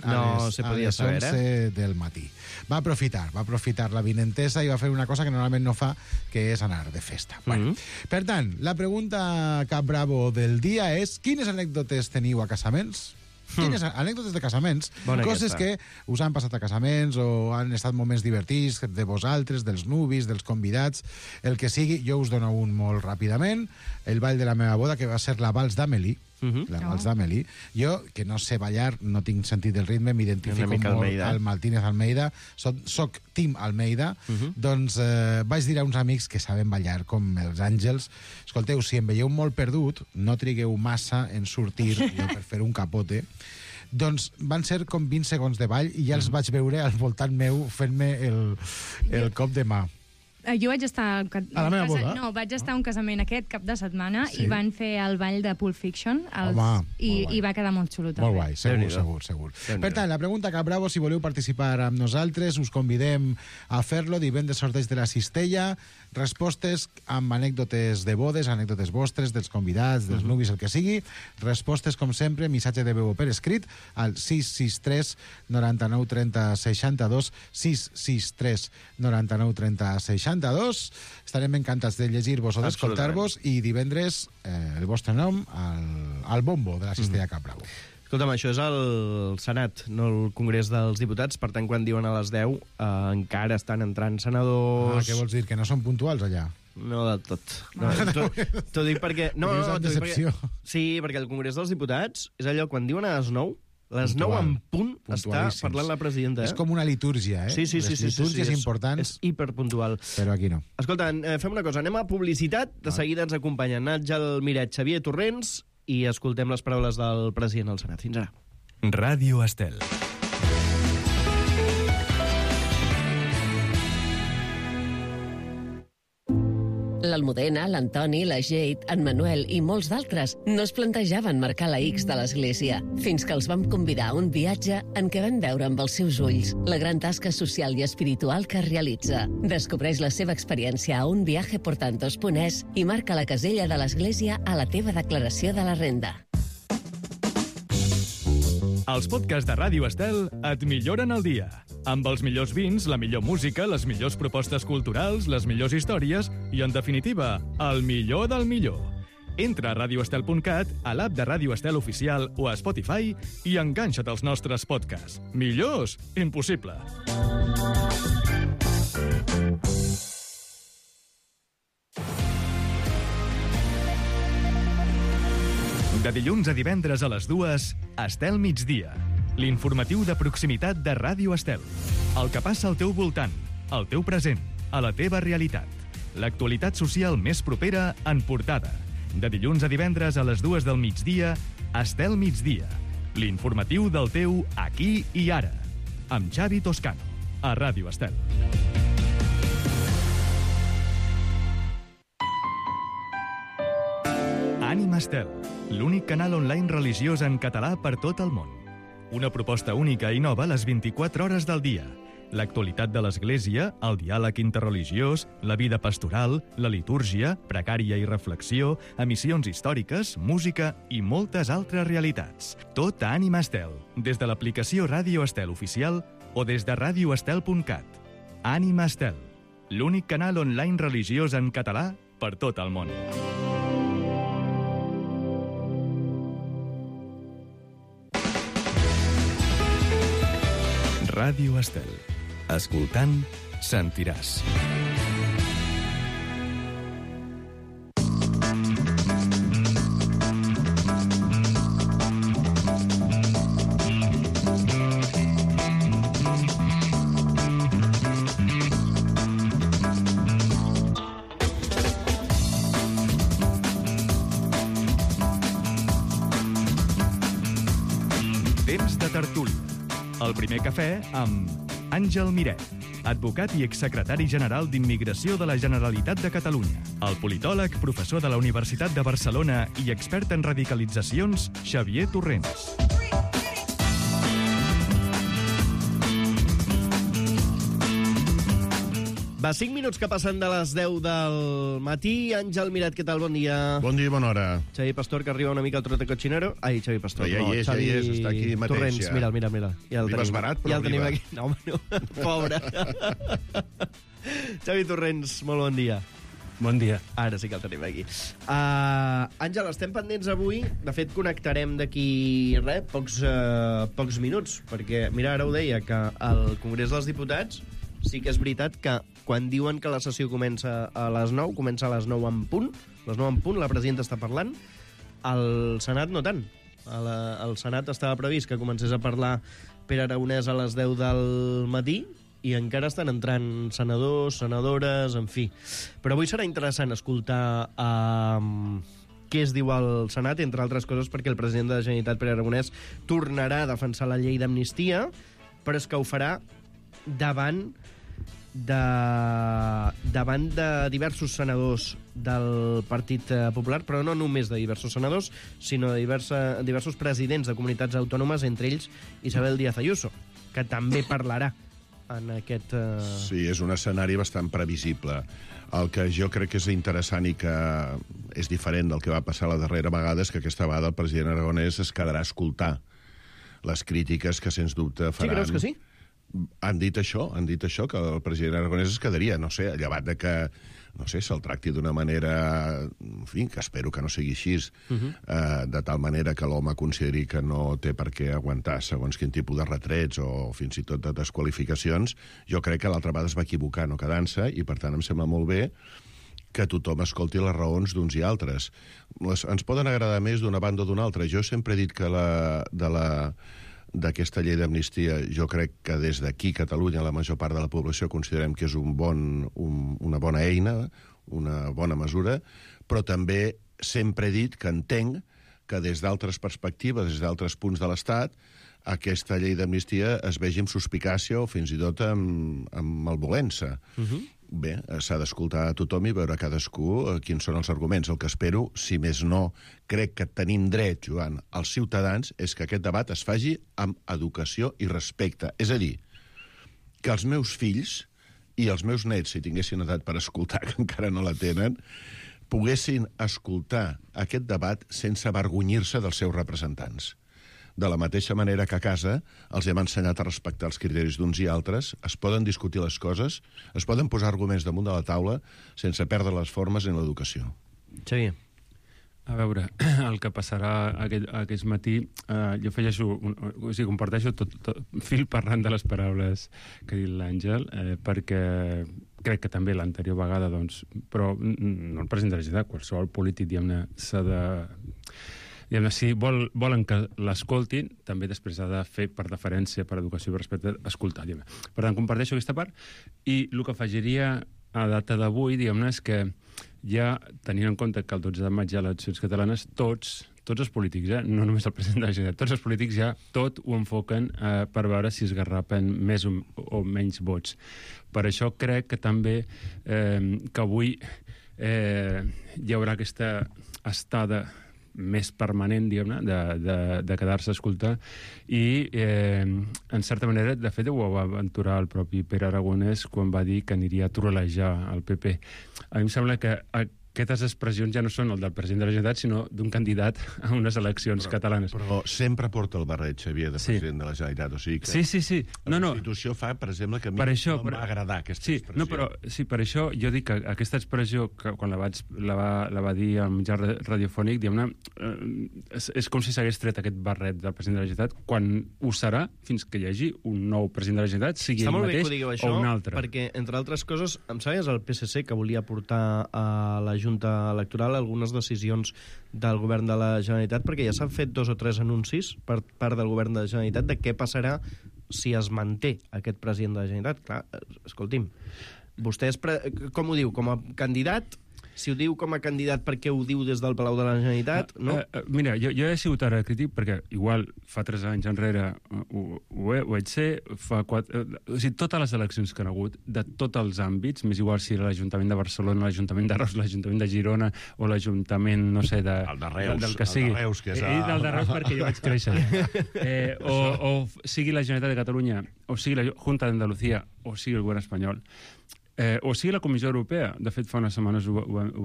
acabaven a les 11 del matí. Va aprofitar la vinentesa i va fer una cosa que normalment no fa, que és anar de festa. Bueno, per tant, la pregunta cap bravo del dia és: quines anècdotes teniu a casaments? Quines anècdotes de casaments, coses que us han passat a casaments o han estat moments divertits de vosaltres, dels nuvis, dels convidats, el que sigui. Jo us dono un molt ràpidament: el ball de la meva boda, que va ser la Vals d'Amélie. La Vals d'Amélie. Jo, que no sé ballar, no tinc sentit del ritme, m'identifico molt al Martínez Almeida, soc Team Almeida, doncs vaig dir a uns amics que saben ballar com els àngels: escolteu, si em veieu molt perdut, no trigueu massa en sortir per fer un capote. Doncs van ser com 20 segons de ball i ja els vaig veure al voltant meu fent-me el cop de mà. Jo vaig estar... A la meva boda? No, vaig estar a un casament aquest cap de setmana i van fer el ball de Pulp Fiction i va quedar molt xulo també. Molt guai, segur. Per tant, la pregunta cap bravo, si voleu participar amb nosaltres, us convidem a fer-lo. Divendres sorteig de la cistella, respostes amb anècdotes de bodes, anècdotes vostres, dels convidats, dels nuvis, el que sigui. Respostes, com sempre, missatge de veu per escrit al 663 99 30 62, 663 99 30 62. Estarem encantats de llegir-vos o d'escoltar-vos i divendres el vostre nom al bombo de la cistella Cap Bravo. Escolta'm, això és el Senat, no el Congrés dels Diputats, per tant, quan diuen a les 10 encara estan entrant senadors... Què vols dir, que no són puntuals allà? No del tot. T'ho dic perquè... Sí, perquè el Congrés dels Diputats és allò, quan diuen a les 9... Les 9 en punt està parlant la presidenta. És com una litúrgia, Sí. Les litúrgies importants... És hiperpuntual. Però aquí no. Escolta, fem una cosa, anem a publicitat, de seguida ens acompanyen Àngel Miret, Xavier Torrents, i escoltem les paraules del president del Senat. Fins ara. Ràdio Estel. L'Almudena, l'Antoni, la Jade, en Manuel i molts d'altres no es plantejaven marcar la X de l'Església, fins que els vam convidar a un viatge en què van veure amb els seus ulls la gran tasca social i espiritual que realitza. Descobreix la seva experiència a unviajeportantos.es i marca la casella de l'Església a la teva declaració de la renda. Els podcasts de Ràdio Estel et milloren el dia. Amb els millors vins, la millor música, les millors propostes culturals, les millors històries i, en definitiva, el millor del millor. Entra a radioestel.cat, a l'app de Ràdio Estel Oficial o a Spotify i enganxa't als nostres podcasts. Millors? Impossible. De dilluns a divendres a les 2, Estel Migdia. L'informatiu de proximitat de Ràdio Estel. El que passa al teu voltant, al teu present, a la teva realitat. L'actualitat social més propera en portada. De dilluns a divendres a les 2 del migdia, Estel Migdia. L'informatiu del teu aquí i ara. Amb Xavi Toscano, a Ràdio Estel. Ànima Estel, l'únic canal online religiós en català per tot el món. Una proposta única i nova a les 24 hores del dia. L'actualitat de l'Església, el diàleg interreligiós, la vida pastoral, la litúrgia, precària i reflexió, emissions històriques, música i moltes altres realitats. Tot a Ànima Estel, des de l'aplicació Ràdio Estel Oficial o des de radioestel.cat. Ànima Estel, l'únic canal online religiós en català per tot el món. Ràdio Estel. Escoltant, sentiràs. Temps de tertúlia. El primer cafè amb Àngel Miret, advocat i exsecretari general d'Immigració de la Generalitat de Catalunya. El politòleg, professor de la Universitat de Barcelona i expert en radicalitzacions, Xavier Torrents. Va, 5 minuts que passen de les 10 del matí. Àngel Miret, què tal? Bon dia. Bon dia i bona hora. Xavi Pastor, que arriba una mica al trote cotxinero. Ai, Xavi Pastor. Ja hi és, està aquí mateix. Torrents, ja. Mira. Ja arribes barat, però ja el tenim aquí. No, home, no. Pobre. Xavi Torrents, molt bon dia. Bon dia. Ara sí que el tenim aquí. Àngel, estem pendents avui. De fet, connectarem d'aquí, pocs minuts, perquè, mira, ara ho deia, que al Congrés dels Diputats sí que és veritat que quan diuen que la sessió comença a les 9, comença a les 9 en punt, la presidenta està parlant, al Senat no tant. Al Senat estava previst que comencés a parlar Pere Aragonès a les 10 del matí, i encara estan entrant senadors, senadores, en fi. Però avui serà interessant escoltar què es diu al Senat, entre altres coses perquè el president de la Generalitat, Pere Aragonès, tornarà a defensar la llei d'amnistia, però és que ho farà davant de diversos senadors del Partit Popular, però no només de diversos senadors, sinó de diversos presidents de comunitats autònomes, entre ells Isabel Díaz Ayuso, que també parlarà en aquest... Sí, és un escenari bastant previsible. El que jo crec que és interessant i que és diferent del que va passar la darrera vegada és que aquesta vegada el president Aragonès es quedarà a escoltar les crítiques que, sens dubte, faran... Sí, creus que sí? Han dit això, que el president Aragonès es quedaria, no sé, llevat de que, no sé, se'l tracti d'una manera, en fi, que espero que no sigui així, de tal manera que l'home consideri que no té per què aguantar segons quin tipus de retrets o fins i tot de desqualificacions. Jo crec que l'altra vegada es va equivocar no quedant-se i, per tant, em sembla molt bé que tothom escolti les raons d'uns i altres. Ens poden agradar més d'una banda o d'una altra. Jo sempre he dit que d'aquesta llei d'amnistia, jo crec que des d'aquí, Catalunya, la major part de la població considerem que és una bona eina, una bona mesura, però també sempre he dit que entenc que des d'altres perspectives, des d'altres punts de l'Estat, aquesta llei d'amnistia es vegi amb suspicàcia o fins i tot amb malvolença. Bé, s'ha d'escoltar a tothom i veure cadascú quins són els arguments. El que espero, si més no, crec que tenim dret, Joan, als ciutadans, és que aquest debat es faci amb educació i respecte. És a dir, que els meus fills i els meus nets, si tinguessin edat per escoltar, que encara no la tenen, poguessin escoltar aquest debat sense avergonyir-se dels seus representants. De la mateixa manera que a casa els hem ensenyat a respectar els criteris d'uns i altres, es poden discutir les coses, es poden posar arguments damunt de la taula sense perdre les formes en l'educació. Xavier. A veure, el que passarà aquest matí, jo afegeixo, o sigui, comparteixo tot fil parlant de les paraules que ha dit l'Àngel, perquè crec que també l'anterior vegada, doncs, però no el president de la Generalitat, qualsevol polític, diguem-ne, s'ha de... Si volen que l'escoltin, també després ha de fer per deferència, per educació i per respecte, escoltar. Per tant, comparteixo aquesta part. I el que afegiria a data d'avui, diguem-ne, és que ja, tenint en compte que el 12 de maig hi ha eleccions catalanes, tots els polítics, no només el president de la Generalitat, tots els polítics ja tot ho enfoquen per veure si es garrapen més o menys vots. Per això crec que també que avui hi haurà aquesta estada més permanent, diguem-ne, de quedar-se a escoltar i, en certa manera, de fet, ho va aventurar el propi Pere Aragonès quan va dir que aniria a trolejar el PP. A mi em sembla que aquestes expressions ja no són el del president de la Generalitat, sinó d'un candidat a unes eleccions catalanes. Però sempre porta el barret, Xavier, de president de la Generalitat. O sigui que sí. La Constitució fa, per exemple, que a mi no m'ha agradat aquesta expressió. Sí, per això jo dic que aquesta expressió, que quan la va dir al mitjà radiofònic, diguem-ne, és com si s'hagués tret aquest barret del president de la Generalitat quan ho serà fins que hi hagi un nou president de la Generalitat, sigui ell mateix o un altre. Perquè, entre altres coses, em sabies el PSC que volia portar a la Junta Electoral algunes decisions del govern de la Generalitat, perquè ja s'han fet 2 o 3 anuncis per part del govern de la Generalitat de què passarà si es manté aquest president de la Generalitat. Clar, escolti'm, vostè com ho diu? Com a candidat? Si ho diu com a candidat, per què ho diu des del Palau de la Generalitat? No? Mira, jo he sigut ara crític perquè igual fa 3 anys enrere ho vaig ser, fa 4... O sigui, totes les eleccions que han hagut, de tots els àmbits, més igual si era l'Ajuntament de Barcelona, l'Ajuntament de Reus, l'Ajuntament de Girona o l'Ajuntament, no sé, el de Reus, del que sigui. El de Reus, que és... El de Reus perquè jo vaig créixer. O sigui la Generalitat de Catalunya, o sigui la Junta d'Andalucía, o sigui el govern espanyol. O sigui, la Comissió Europea, de fet, fa unes setmanes ho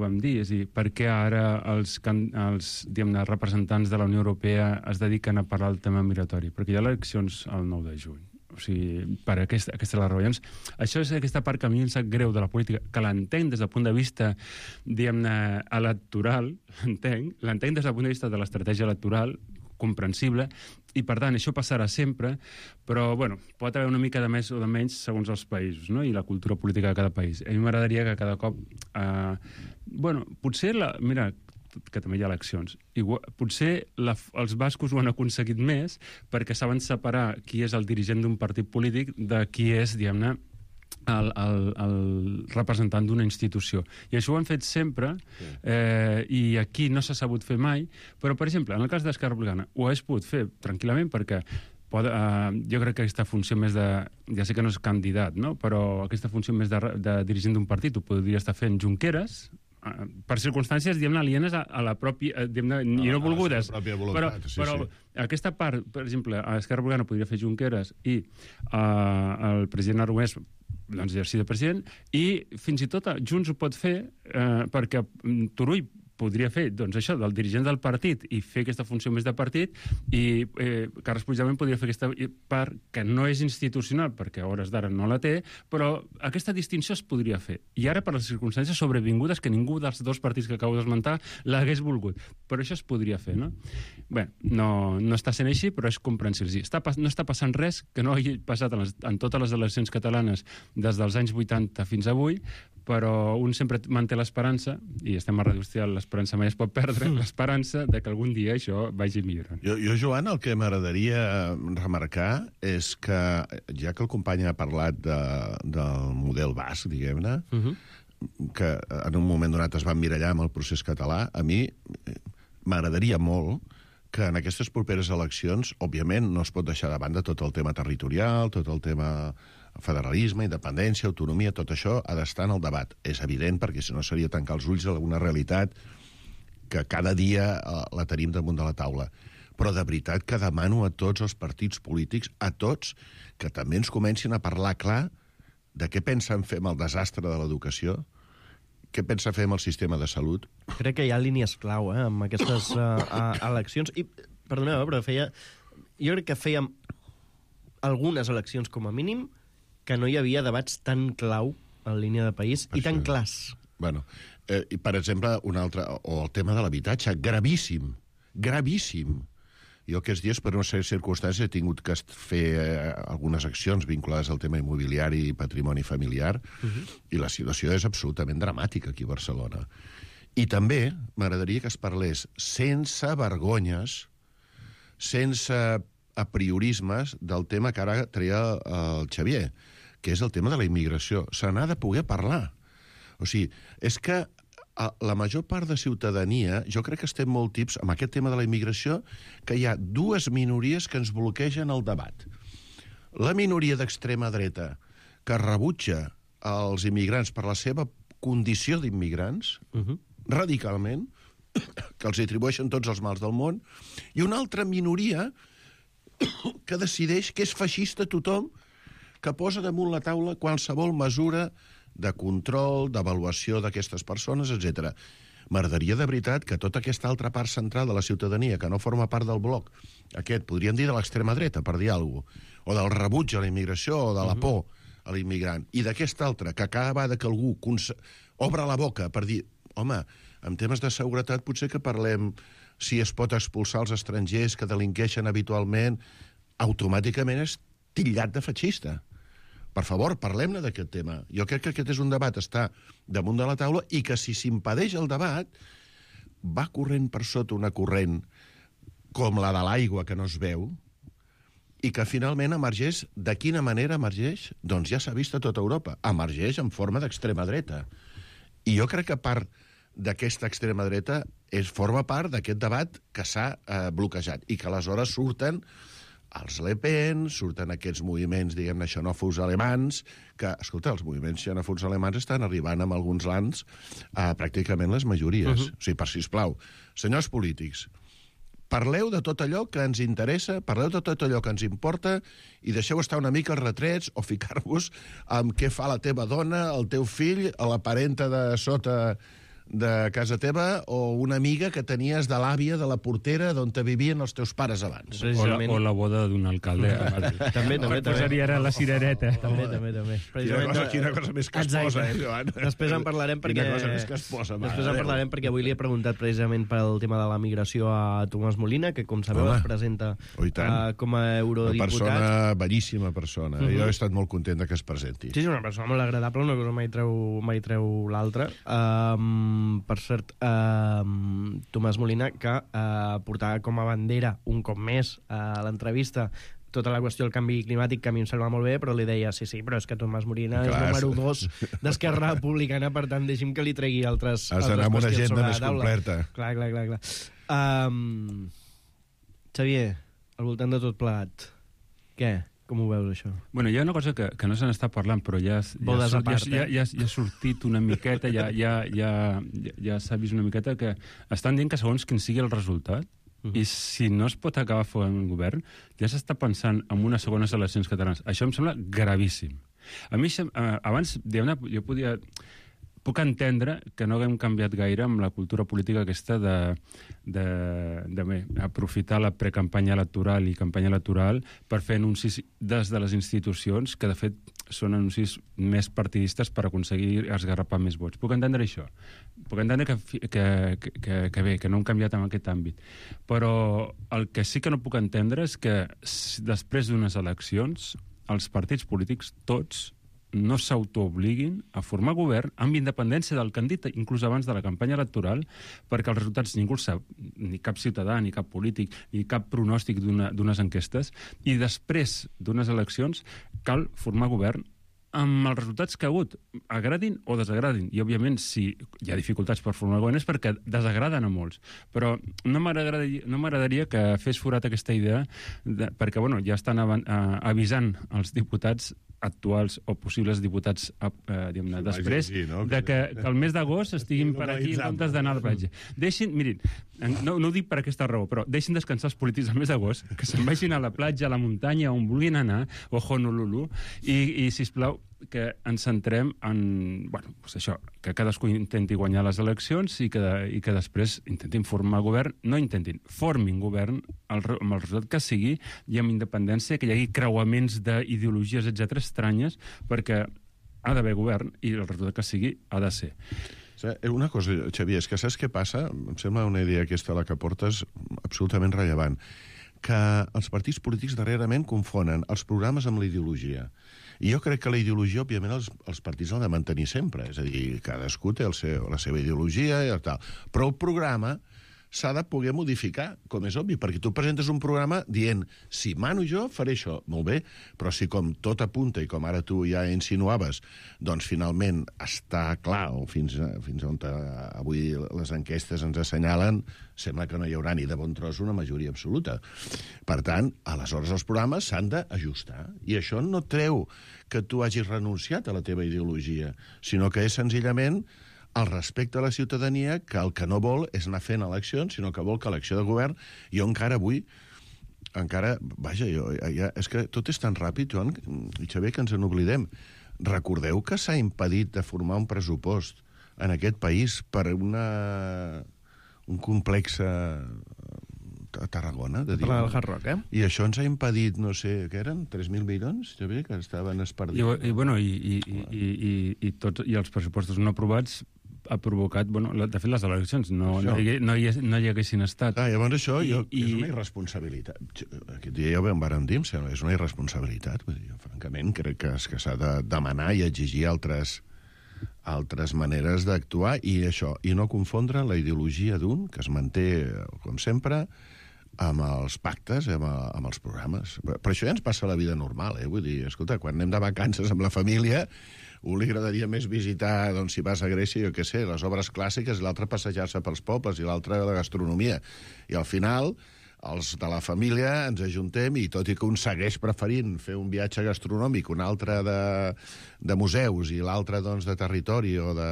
vam dir, és a dir, per què ara els representants de la Unió Europea es dediquen a parlar del tema migratori? Perquè hi ha eleccions el 9 de juny. O sigui, per aquesta és la raó. Llavors, això és aquesta part que a mi em sap greu de la política, que l'entenc des del punt de vista, diguem-ne, electoral, l'entenc des del punt de vista de l'estratègia electoral, comprensible, i per tant això passarà sempre, però bueno, pot haver una mica de més o de menys segons els països, no? I la cultura política de cada país. A mi m'agradaria que cada cop potser mira, que també hi ha eleccions. Potser els bascos ho han aconseguit més perquè saben separar qui és el dirigent d'un partit polític de qui és, diguem-ne, el representant d'una institució. I això ho han fet sempre, i aquí no s'ha sabut fer mai, però, per exemple, en el cas d'Esquerra Republicana, ho hagués pogut fer tranquil·lament perquè jo crec que aquesta funció més de... Ja sé que no és candidat, no? Però aquesta funció més de dirigent d'un partit ho podria estar fent Junqueras, per circumstàncies, diguem-ne, alienes a la pròpia... i no volgudes. Però aquesta part, per exemple, a Esquerra Republicana podria fer Junqueras i el president Aragonès doncs exercir de president, i fins i tot Junts ho pot fer perquè Turull podria fer, doncs això, del dirigent del partit i fer aquesta funció més de partit, i Carles Puigdemont podria fer aquesta part que no és institucional, perquè a hores d'ara no la té, però aquesta distinció es podria fer. I ara, per les circumstàncies sobrevingudes, que ningú dels dos partits que acabo d'esmentar l'hagués volgut. Però això es podria fer, no? Bé, no està sent així, però és comprensible. No està passant res que no hagi passat en totes les eleccions catalanes des dels anys 80 fins avui, però un sempre manté l'esperança, i estem a Ràdio Hostal, l'esperança mai es pot perdre, l'esperança de que algun dia això vagi millorant. Jo, Joan, el que m'agradaria remarcar és que, ja que el company ha parlat del model basc, diguem-ne, que en un moment donat es va emmirallar amb el procés català, a mi m'agradaria molt que en aquestes properes eleccions, òbviament, no es pot deixar de banda tot el tema territorial, tot el tema federalisme, independència, autonomia, tot això ha d'estar en el debat. És evident, perquè si no seria tancar els ulls a alguna realitat que cada dia la tenim damunt de la taula. Però de veritat que demano a tots els partits polítics, a tots, que també ens comencin a parlar clar de què pensen fer amb el desastre de l'educació, què pensa fer amb el sistema de salut. Crec que hi ha línies clau amb aquestes eleccions. I, perdoneu, però jo crec que fèiem algunes eleccions, com a mínim, que no hi havia debats tan clau en línia de país i tan clars. Bueno, i per exemple, un altre, o el tema de l'habitatge, gravíssim, gravíssim. Jo aquests dies, per una sèrie de circumstàncies, he tingut que fer algunes accions vinculades al tema immobiliari i patrimoni familiar, i la situació és absolutament dramàtica aquí a Barcelona. I també m'agradaria que es parlés sense vergonyes, sense apriorismes del tema que ara treia el Xavier, que és el tema de la immigració. Se n'ha de poder parlar. O sigui, és que la major part de ciutadania, jo crec que estem molt tips amb aquest tema de la immigració, que hi ha dues minories que ens bloquegen el debat. La minoria d'extrema dreta, que rebutja els immigrants per la seva condició d'immigrants, radicalment, que els atribueixen tots els mals del món, i una altra minoria que decideix que és feixista tothom, que posa damunt la taula qualsevol mesura de control, d'avaluació d'aquestes persones, etc. M'agradaria de veritat que tota aquesta altra part central de la ciutadania, que no forma part del bloc, aquest, podríem dir de l'extrema dreta, per dir alguna cosa, o del rebuig a la immigració, o de la por a l'immigrant, i d'aquesta altra, que cada vegada que algú obre la boca per dir, home, en temes de seguretat potser que parlem si es pot expulsar els estrangers que delinqueixen habitualment, automàticament és titllat de feixista. Per favor, parlem-ne d'aquest tema. Jo crec que aquest és un debat, està damunt de la taula, i que si s'impedeix el debat, va corrent per sota una corrent com la de l'aigua que no es veu, i que finalment emergeix. De quina manera emergeix? Doncs ja s'ha vist a tota Europa. Emergeix en forma d'extrema dreta. I jo crec que part d'aquesta extrema dreta forma part d'aquest debat que s'ha bloquejat, i que aleshores surten els Le Pen, surten aquests moviments, diguem-ne, xenòfobs alemans, que, escolta, els moviments xenòfobs alemans estan arribant en alguns lands a pràcticament les majories. O sigui, sisplau, senyors polítics, Parleu de tot allò que ens interessa, parleu de tot allò que ens importa i deixeu estar una mica els retrets o ficar-vos amb què fa la teva dona, el teu fill, la parenta de sota de casa teva o una amiga que tenies de l'àvia de la portera d'on te vivien els teus pares abans. O la boda d'un alcalde a Madrid. També. Posaria ara la cirereta. També. Quina cosa més que es posa, Joan? Després en parlarem perquè... Quina cosa més que es posa, mare. Després en parlarem perquè avui li he preguntat precisament pel tema de la migració a Tomàs Molina, que com sabeu es presenta com a eurodiputat. Una persona, bellíssima persona. Jo he estat molt content que es presenti. Sí, una persona molt agradable, una cosa mai treu l'altra. Per cert, Tomàs Molina, que portava com a bandera un cop més a l'entrevista tota la qüestió del canvi climàtic, que a mi em sembla molt bé, però li deia, sí, però és que Tomàs Molina és número 2 d'Esquerra Republicana, per tant, deixi'm que li tregui altres has d'anar amb una agenda més completa. Clar. Xavier, al voltant de tot plegat, què? Com ho veus, això? Bueno, hi ha una cosa que no se n'està parlant, però ja ha sortit una miqueta, ja s'ha vist una miqueta que estan dient que segons quin sigui el resultat, i si no es pot acabar fent un govern, ja s'està pensant en unes segones eleccions catalanes. Això em sembla gravíssim. A mi, abans, jo podia... Puc entendre que no haguem canviat gaire amb la cultura política aquesta d'aprofitar la precampanya electoral i campanya electoral per fer anuncis des de les institucions, que de fet són anuncis més partidistes per aconseguir esgarrapar més vots. Puc entendre això. Puc entendre que bé, que no hem canviat en aquest àmbit. Però el que sí que no puc entendre és que després d'unes eleccions els partits polítics, tots, no s'autoobliguin a formar govern amb independència del que han dit, inclús abans de la campanya electoral, perquè els resultats ningú el sap, ni cap ciutadà, ni cap polític, ni cap pronòstic d'unes enquestes, i després d'unes eleccions cal formar govern amb els resultats que ha hagut, agradin o desagradin. I, òbviament, si hi ha dificultats per formar govern és perquè desagraden a molts. Però no m'agradaria que fes forat aquesta idea, perquè ja estan avisant els diputats actuals o possibles diputats després, de que el mes d'agost estiguin per aquí en comptes d'anar a la platja. Mirin, no ho dic per aquesta raó, però deixin descansar els polítics el mes d'agost, que se'n vagin a la platja, a la muntanya, on vulguin anar, o Honolulu, i, sisplau, que ens centrem en, això, que cadascú intenti guanyar les eleccions i que després intentin formar govern, formin govern amb el resultat que sigui i amb independència, que hi hagi creuaments d'ideologies, etc., estranyes, perquè ha d'haver govern i el resultat que sigui ha de ser. Una cosa, Xavier, és que saps què passa? Em sembla una idea aquesta la que portes absolutament rellevant, que els partits polítics darrerament confonen els programes amb la ideologia. I jo crec que la ideologia, òbviament, els partits l'han de mantenir sempre. És a dir, cadascú té la seva ideologia i tal. Però el programa s'ha de poder modificar, com és obvi, perquè tu presentes un programa dient, si mano jo, faré això. Molt bé, però si com tot apunta, i com ara tu ja insinuaves, doncs finalment està clar, o fins on avui les enquestes ens assenyalen, sembla que no hi haurà ni de bon tros una majoria absoluta. Per tant, aleshores els programes s'han d'ajustar. I això no treu que tu hagis renunciat a la teva ideologia, sinó que és senzillament el respecte a la ciutadania, que el que no vol és anar fent eleccions, sinó que vol que l'acció de govern... Jo encara avui... és que tot és tan ràpid, Joan i Xavier, que ens n'oblidem. Recordeu que s'ha impedit de formar un pressupost en aquest país per un complex a Tarragona, de dir. Parlar del Hard Rock, I això ens ha impedit, no sé, què eren? 3.000 milions, Xavier, que estaven espardits. I els pressupostos no aprovats ha provocat, de fet, les eleccions no hi haguessin estat. Llavors això és una irresponsabilitat. Aquest dia ja ho vàrem dir, és una irresponsabilitat. Francament, crec que s'ha de demanar i exigir altres maneres d'actuar i no confondre la ideologia d'un, que es manté, com sempre, amb els pactes, amb els programes. Per això ja ens passa la vida normal, Vull dir, escolta, quan anem de vacances amb la família, un li agradaria més visitar, doncs, si vas a Grècia, jo què sé, les obres clàssiques, i l'altre passejar-se pels pobles, i l'altre la gastronomia. I al final, els de la família ens ajuntem i tot i que un segueix preferint fer un viatge gastronòmic, un altre de museus i l'altre doncs, de territori o de...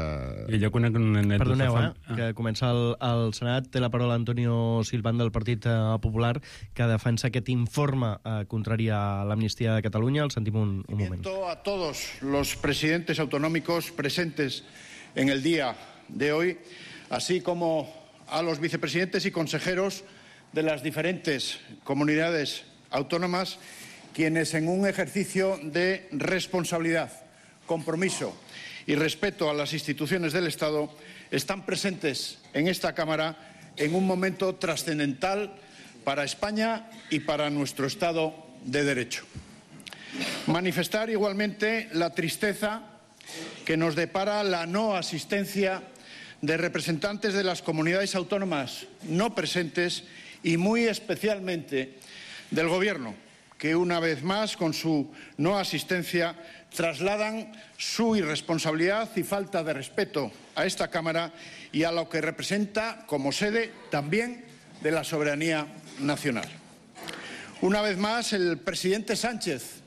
I jo conec una anècdota... Perdoneu, que comença el Senat. Té la paraula Antonio Silván del Partit Popular, que defensa aquest informe contrari a l'amnistia de Catalunya. El sentim un moment. A todos los presidentes autonómicos presentes en el día de hoy, así como a los vicepresidentes y consejeros de las diferentes comunidades autónomas, quienes en un ejercicio de responsabilidad, compromiso y respeto a las instituciones del Estado están presentes en esta Cámara en un momento trascendental para España y para nuestro Estado de Derecho. Manifestar igualmente la tristeza que nos depara la no asistencia de representantes de las comunidades autónomas no presentes y muy especialmente del Gobierno, que una vez más, con su no asistencia, trasladan su irresponsabilidad y falta de respeto a esta Cámara y a lo que representa como sede también de la soberanía nacional. Una vez más, el presidente Sánchez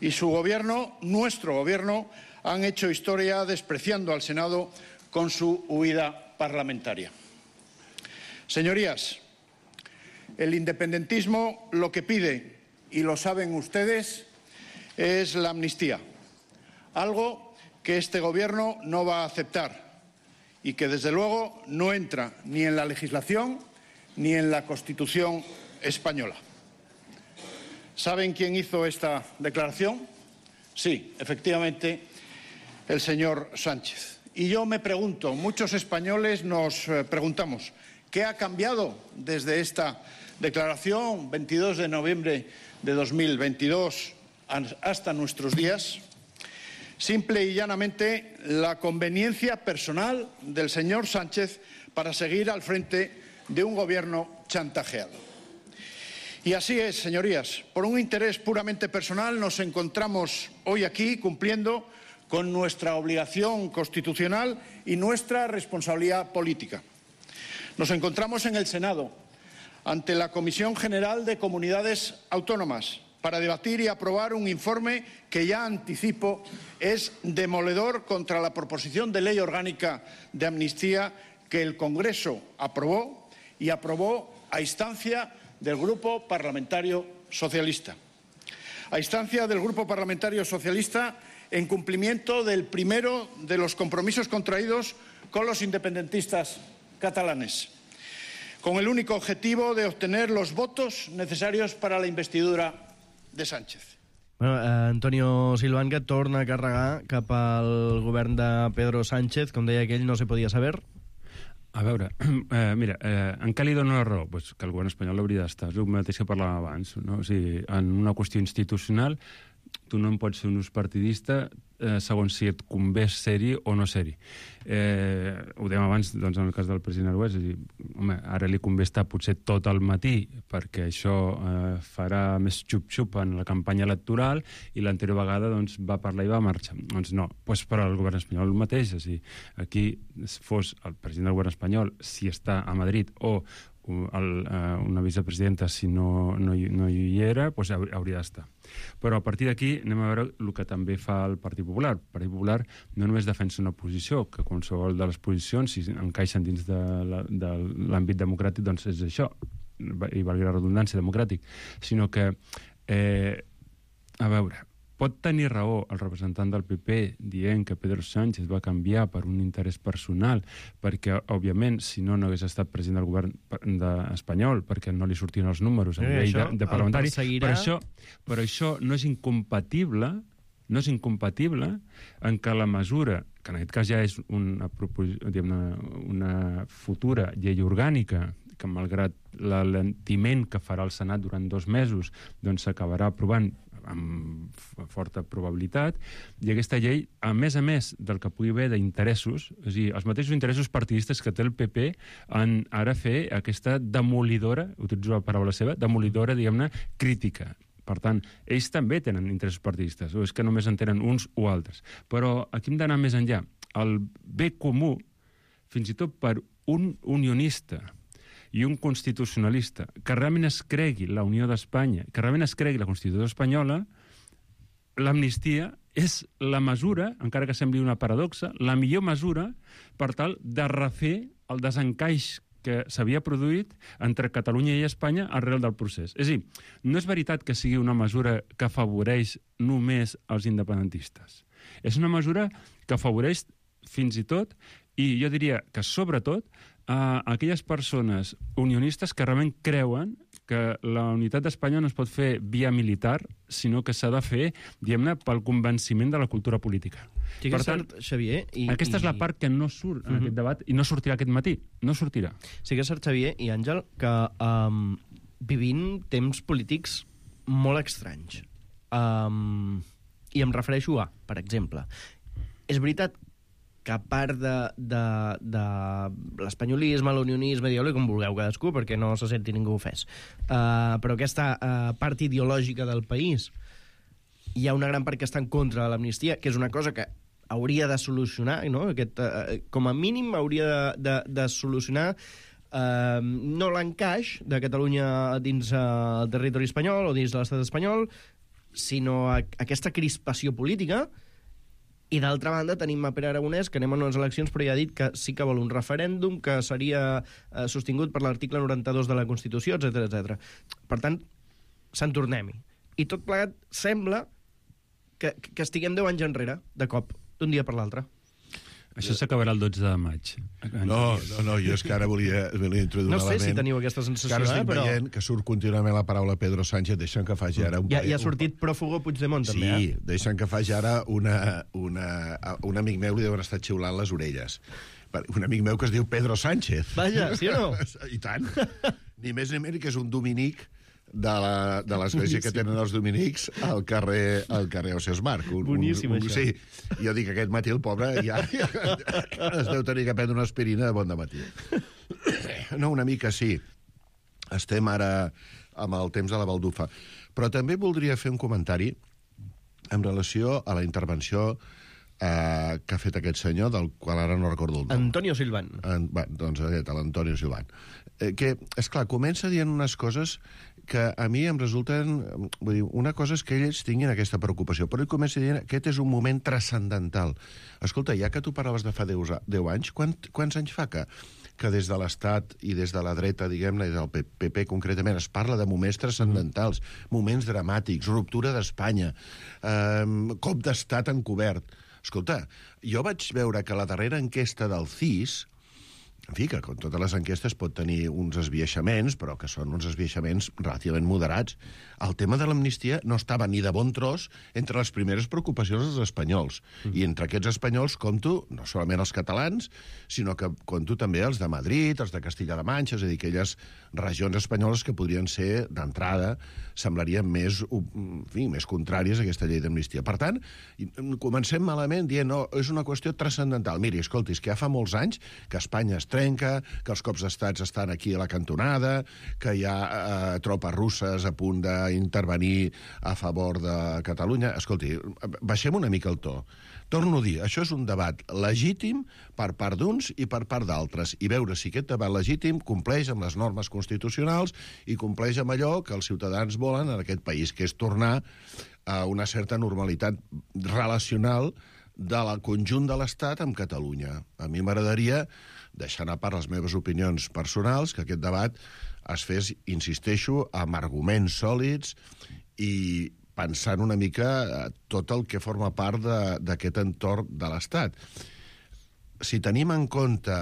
y su Gobierno, nuestro Gobierno, han hecho historia despreciando al Senado con su huida parlamentaria. Señorías, el independentismo lo que pide, y lo saben ustedes, es la amnistía, algo que este Gobierno no va a aceptar y que desde luego no entra ni en la legislación ni en la Constitución española. ¿Saben quién hizo esta declaración? Sí, efectivamente, el señor Sánchez. Y yo me pregunto, muchos españoles nos preguntamos, ¿qué ha cambiado desde esta declaración 22 de noviembre de 2022 hasta nuestros días? Simple y llanamente la conveniencia personal del señor Sánchez para seguir al frente de un gobierno chantajeado. Y así es, señorías, por un interés puramente personal nos encontramos hoy aquí cumpliendo con nuestra obligación constitucional y nuestra responsabilidad política. Nos encontramos en el Senado, ante la Comisión General de Comunidades Autónomas, para debatir y aprobar un informe que ya anticipo es demoledor contra la proposición de ley orgánica de amnistía que el Congreso aprobó y aprobó a instancia del Grupo Parlamentario Socialista. A instancia del Grupo Parlamentario Socialista, en cumplimiento del primero de los compromisos contraídos con los independentistas catalanes, con el único objetivo de obtener los votos necesarios para la investidura de Sánchez. Bueno, Antonio Silván, que torna a carregar cap al govern de Pedro Sánchez, com deia aquell, no se podia saber. A veure, mira, en què li dono la raó? Pues que el govern espanyol hauria d'estar, és el mateix que parlàvem abans, no? O sigui, en una qüestió institucional tu no en pots ser un ús partidista segons si et convé ser-hi o no ser-hi. Ho dèiem abans, doncs, en el cas del president Aragonès, és a dir, home, ara li convé estar potser tot el matí perquè això farà més xup-xup en la campanya electoral i l'anterior vegada doncs, va parlar i va marxar. Doncs no, doncs per al govern espanyol el mateix, és a dir, aquí fos el president del govern espanyol, si està a Madrid o una vicepresidenta, si no hi era, doncs hauria d'estar. Però a partir d'aquí anem a veure el que també fa el Partit Popular. El Partit Popular no només defensa una posició, que qualsevol de les posicions, si encaixen dins de l'àmbit democràtic, doncs és això, i valgui la redundància, democràtic, sinó que, a veure, pot tenir raó el representant del PP dient que Pedro Sánchez va canviar per un interès personal, perquè, òbviament, si no hagués estat president del govern espanyol, perquè no li sortien els números a nivell de parlamentari, però això no és incompatible en què la mesura, que en aquest cas ja és una futura llei orgànica, que malgrat l'alentiment que farà el Senat durant 2 mesos, doncs s'acabarà aprovant amb forta probabilitat, i aquesta llei, a més del que pugui haver d'interessos, és a dir, els mateixos interessos partidistes que té el PP en ara fer aquesta demolidora, utilitzo la paraula seva, demolidora, diguem-ne, crítica. Per tant, ells també tenen interessos partidistes, o és que només en tenen uns o altres. Però aquí hem d'anar més enllà. El bé comú, fins i tot per un unionista i un constitucionalista que realment es cregui la Unió d'Espanya, que realment es cregui la Constitució espanyola, l'amnistia és la mesura, encara que sembli una paradoxa, la millor mesura per tal de refer el desencaix que s'havia produït entre Catalunya i Espanya arrel del procés. És a dir, no és veritat que sigui una mesura que afavoreix només els independentistes. És una mesura que afavoreix fins i tot, i jo diria que sobretot, a aquelles persones unionistes que realment creuen que la unitat d'Espanya no es pot fer via militar, sinó que s'ha de fer, diguem-ne, pel convenciment de la cultura política. Sí, per tant, Xavier... Aquesta és la part que no surt en aquest debat i no sortirà aquest matí. No sortirà. Sí que és cert, Xavier i Àngel, que vivim temps polítics molt estranys. I em refereixo a, per exemple, és veritat que a part de l'espanyolisme, l'unionisme, digueu-li com vulgueu cadascú, perquè no se senti ningú ofès, però aquesta part ideològica del país, hi ha una gran part que està en contra de l'amnistia, que és una cosa que hauria de solucionar, no? Com a mínim hauria de solucionar no l'encaix de Catalunya dins el territori espanyol o dins de l'estat espanyol, sinó aquesta crispació política. I d'altra banda tenim a Pere Aragonès, que anem a unes eleccions, però ja ha dit que sí que vol un referèndum que seria sostingut per l'article 92 de la Constitució, etc. Per tant, se'n tornem-hi. I tot plegat sembla que estiguem 10 anys enrere, de cop, d'un dia per l'altre. Això s'acabarà el 12 de maig. No, jo és que ara volia introduir un element. No sé si teniu aquesta sensació, que ara estic veient que surt contínuament la paraula Pedro Sánchez, deixen que faci ara... Ja ha sortit pròfugo Puigdemont, també, Sí, deixen que faci ara un amic meu li deuen estar xiulant les orelles. Un amic meu que es diu Pedro Sánchez. Vaja, sí o no? I tant. Ni més ni menys que és un dominic de l'església que tenen els dominics al carrer Ausiàs Marc. Boníssim, això. Sí, jo dic que aquest matí el pobre ja es deu tenir que prendre una aspirina de bon dematí. No, una mica sí. Estem ara amb el temps de la baldufa. Però també voldria fer un comentari en relació a la intervenció que ha fet aquest senyor, del qual ara no recordo el nom. Antonio Silván. Doncs l'Antonio Silván. Que, esclar, comença dient unes coses que a mi em resulten... Vull dir, una cosa és que ells tinguin aquesta preocupació, però ell comença dient que aquest és un moment transcendental. Escolta, ja que tu parlaves de fa 10 anys, quants anys fa que des de l'Estat i des de la dreta, diguem-ne, i del PP concretament, es parla de moments transcendentals, moments dramàtics, ruptura d'Espanya, cop d'estat encobert. Escolta, jo vaig veure que la darrera enquesta del CIS, en fi, que com totes les enquestes pot tenir uns esbiaixaments, però que són uns esbiaixaments relativament moderats, el tema de l'amnistia no estava ni de bon tros entre les primeres preocupacions dels espanyols. I entre aquests espanyols compto no solament els catalans, sinó que compto també els de Madrid, els de Castilla-La Manxa, és a dir, aquelles regions espanyoles que podrien ser, d'entrada, semblarien més contràries a aquesta llei d'amnistia. Per tant, comencem malament dient, no, és una qüestió transcendental. Miri, escolti, és que ja fa molts anys que Espanya es trenca, que els cops d'estats estan aquí a la cantonada, que hi ha tropes russes a punt d'intervenir a favor de Catalunya. Escolti, baixem una mica el to. Torno a dir, això és un debat legítim per part d'uns i per part d'altres, i veure si aquest debat legítim compleix amb les normes constitucionals i compleix amb allò que els ciutadans volen en aquest país, que és tornar a una certa normalitat relacional del conjunt de l'Estat amb Catalunya. A mi m'agradaria, deixant a part les meves opinions personals, que aquest debat es fes, insisteixo, amb arguments sòlids i pensant una mica tot el que forma part d'aquest entorn de l'Estat. Si tenim en compte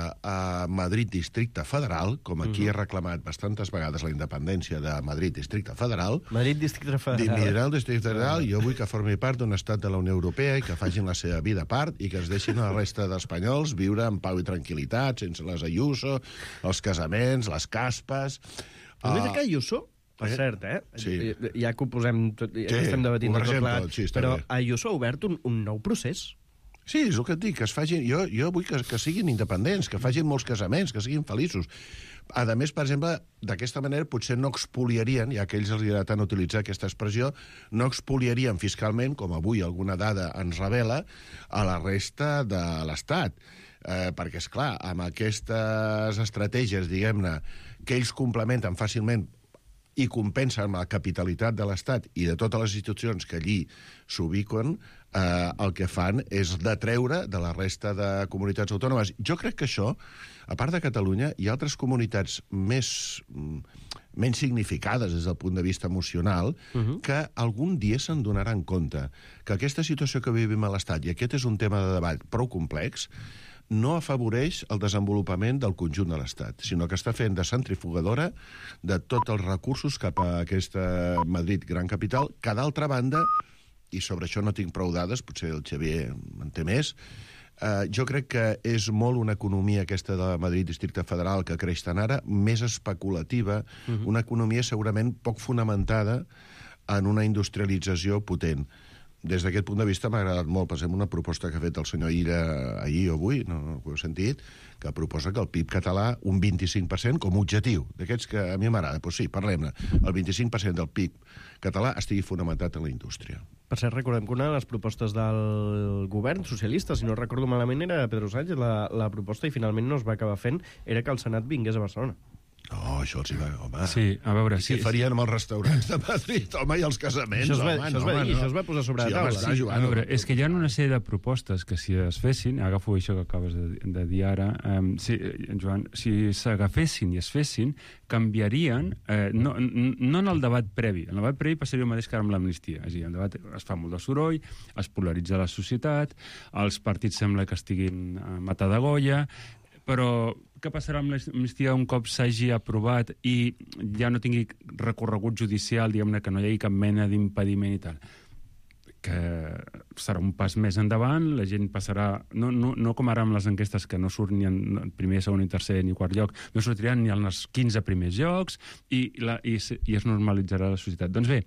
Madrid Districte Federal, com aquí he reclamat bastantes vegades la independència de Madrid Districte Federal... Madrid Districte Federal. Districte Federal, jo vull que formi part d'un estat de la Unió Europea i que facin la seva vida a part i que es deixin a la resta d'espanyols viure en pau i tranquil·litat, sense les Ayuso, els casaments, les caspes... Només que Ayuso... Per cert, Sí. Ja que ho posem... Ja estem debatint tot plegat, sí, però bé. Ayuso ha obert un nou procés. Sí, és el que et dic, que es facin... Jo vull que siguin independents, que facin molts casaments, que siguin feliços. A més, per exemple, d'aquesta manera potser no expoliarien, ja que ells els agrada tant utilitzar aquesta expressió, no expoliarien fiscalment, com avui alguna dada ens revela, a la resta de l'Estat. perquè, esclar, amb aquestes estratègies, diguem-ne, que ells complementen fàcilment i compensen amb la capitalitat de l'Estat i de totes les institucions que allí s'ubiquen, el que fan és detreure de la resta de comunitats autònomes. Jo crec que això, a part de Catalunya, hi ha altres comunitats menys significades des del punt de vista emocional, que algun dia se'n donaran compte que aquesta situació que vivim a l'Estat, i aquest és un tema de debat prou complex, no afavoreix el desenvolupament del conjunt de l'Estat, sinó que està fent de centrifugadora de tots els recursos cap a aquesta Madrid gran capital, que d'altra banda, i sobre això no tinc prou dades, potser el Xavier en té més, jo crec que és molt una economia aquesta de Madrid Districte Federal que creix tant ara, més especulativa, una economia segurament poc fonamentada en una industrialització potent. Des d'aquest punt de vista m'ha agradat molt, per exemple, una proposta que ha fet el senyor Illa ahir o avui, no ho heu sentit, que proposa que el PIB català, un 25% com a objectiu, d'aquests que a mi m'agrada. Doncs sí, parlem-ne. El 25% del PIB català estigui fonamentat en la indústria. Per cert, recordem que una de les propostes del govern socialista, si no recordo malament, era Pedro Sánchez, la proposta, i finalment no es va acabar fent, era que el Senat vingués a Barcelona. Oh, això els hi va... Home, sí, a veure... Què farien amb els restaurants de Madrid, home, i els casaments? Això es va posar sobre la taula. Sí, a veure, és que hi ha una sèrie de propostes que si es fessin, agafo això que acabes de dir ara, Joan, si s'agafessin i es fessin, canviarien, no en el debat previ. En el debat previ passaria el mateix que ara amb l'amnistia. És a dir, el debat es fa molt de soroll, es polaritza la societat, els partits sembla que estiguin a matar de golla, però què passarà amb l'amnistia un cop s'hagi aprovat i ja no tingui recorregut judicial, diguem-ne que no hi hagi cap mena d'impediment i tal? Que serà un pas més endavant, la gent passarà... No com ara amb les enquestes, que no surt ni en primer, segon, ni tercer, ni quart lloc, no sortiran ni als 15 primers llocs i es normalitzarà la societat. Doncs bé,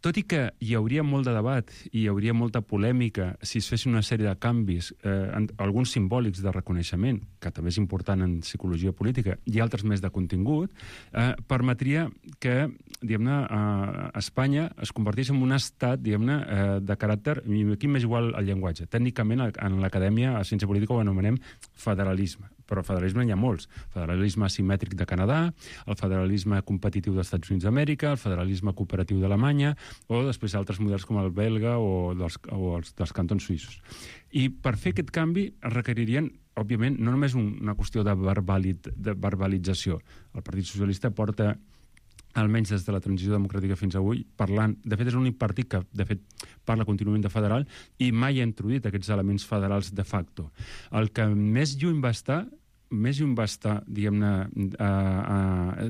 tot i que hi hauria molt de debat i hi hauria molta polèmica si es fessin una sèrie de canvis, alguns simbòlics de reconeixement, que també és important en psicologia política, i altres més de contingut, permetria que, diguem-ne, Espanya es convertís en un estat, diguem-ne, de caràcter, i aquí m'és igual el llenguatge. Tècnicament, en l'acadèmia, a ciència política, ho anomenem federalisme. Però federalisme hi ha molts. Federalisme asimètric de Canadà, el federalisme competitiu dels Estats Units d'Amèrica, el federalisme cooperatiu d'Alemanya, o després altres models com el belga o dels cantons suïssos. I per fer aquest canvi es requeririen, òbviament, no només una qüestió de verbalització. El Partit Socialista porta, almenys des de la transició democràtica fins avui, parlant... De fet, és l'únic partit que, de fet, parla contínuament de federal i mai ha introduït aquests elements federals de facto. El que més lluny va estar, diguem-ne,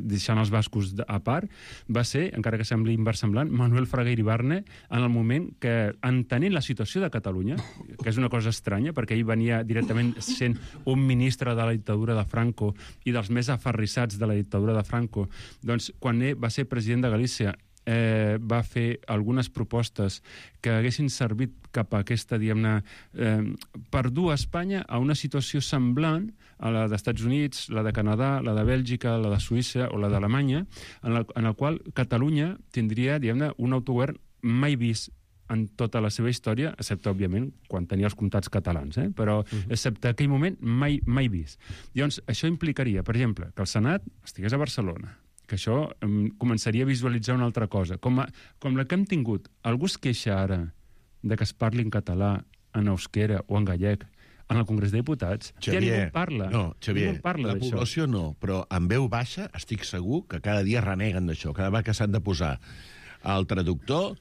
deixant els bascos a part, va ser, encara que sembli inversemblant, Manuel Fraga Iribarne, en el moment que, entenent la situació de Catalunya, que és una cosa estranya, perquè ell venia directament sent un ministre de la dictadura de Franco i dels més aferrissats de la dictadura de Franco, doncs, quan va ser president de Galícia, va fer algunes propostes que haguessin servit cap a aquesta, diguem-ne, per dur a Espanya a una situació semblant a la dels Estats Units, la de Canadà, la de Bèlgica, la de Suïssa o la d'Alemanya, en el qual Catalunya tindria, diguem-ne, un autogovern mai vist en tota la seva història, excepte, òbviament, quan tenia els comtats catalans, però excepte aquell moment mai vist. Llavors, això implicaria, per exemple, que el Senat estigués a Barcelona, que això començaria a visualitzar una altra cosa. Com la que hem tingut. Algú es queixa ara de que es parli en català, en euskera o en gallec en el Congrés de Diputats? Xavier, ja ningú parla. No, Xavier, ningú parla la població no, però en veu baixa estic segur que cada dia reneguen d'això. Cada vegada que s'han de posar al traductor,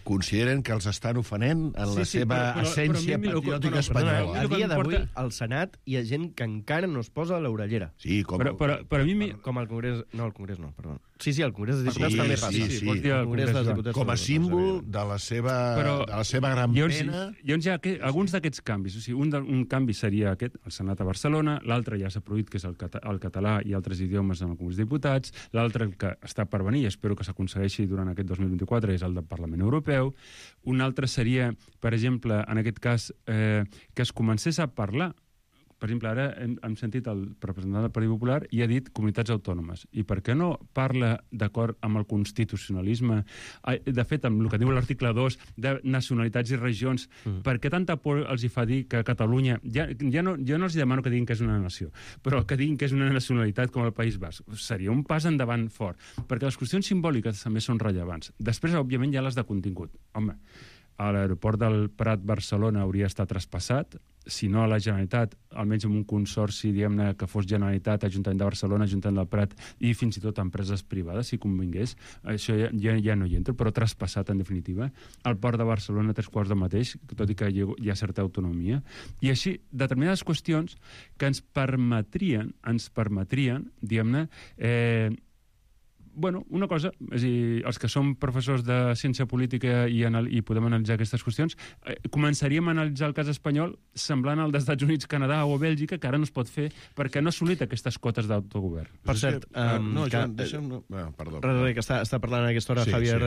consideren que els estan ofenent en la seva essència patriòtica espanyola. A dia d'avui, al Senat hi ha gent que encara no es posa l'orellera. Sí, com... Però a mi... Com al Congrés... No, al Congrés no, perdó. Sí, al Congrés dels Diputats també passa. Sí. Al Congrés dels Diputats com a símbol de la seva gran pena... Llavors hi ha alguns d'aquests canvis. O sigui, un canvi seria aquest, el Senat a Barcelona, l'altre ja s'ha produït, que és el català i altres idiomes en el Congrés dels Diputats, l'altre que està per venir, i espero que s'aconsegueixi durant aquest 2024, és el del Parlament Europeu. Un altre seria, per exemple, en aquest cas, que es comencés a parlar Per exemple, ara hem sentit el representant del Partit Popular i ha dit comunitats autònomes. I per què no parla d'acord amb el constitucionalisme? De fet, amb el que diu l'article 2 de nacionalitats i regions, per què tanta por els hi fa dir que Catalunya... Jo no els demano que diguin que és una nació, però que diguin que és una nacionalitat com el País Basc. Seria un pas endavant fort, perquè les qüestions simbòliques també són rellevants. Després, òbviament, hi ha les de contingut. Home, a l'aeroport del Prat Barcelona hauria estat traspassat, si no a la Generalitat, almenys amb un consorci, diguem-ne, que fos Generalitat, Ajuntament de Barcelona, Ajuntament del Prat i fins i tot empreses privades, si convingués. Això ja no hi entro, però traspassat, en definitiva. El port de Barcelona, 3/4 del mateix, tot i que hi ha certa autonomia. I així, determinades qüestions que ens permetrien, diguem-ne, una cosa, és a dir, els que som professors de ciència política i podem analitzar aquestes qüestions, començaríem a analitzar el cas espanyol semblant al dels Estats Units, Canadà o Bèlgica, que ara no es pot fer perquè no ha assolit aquestes cotes d'autogovern. Per cert, Joan, deixa'm... Perdó. Que està parlant a aquesta hora Javier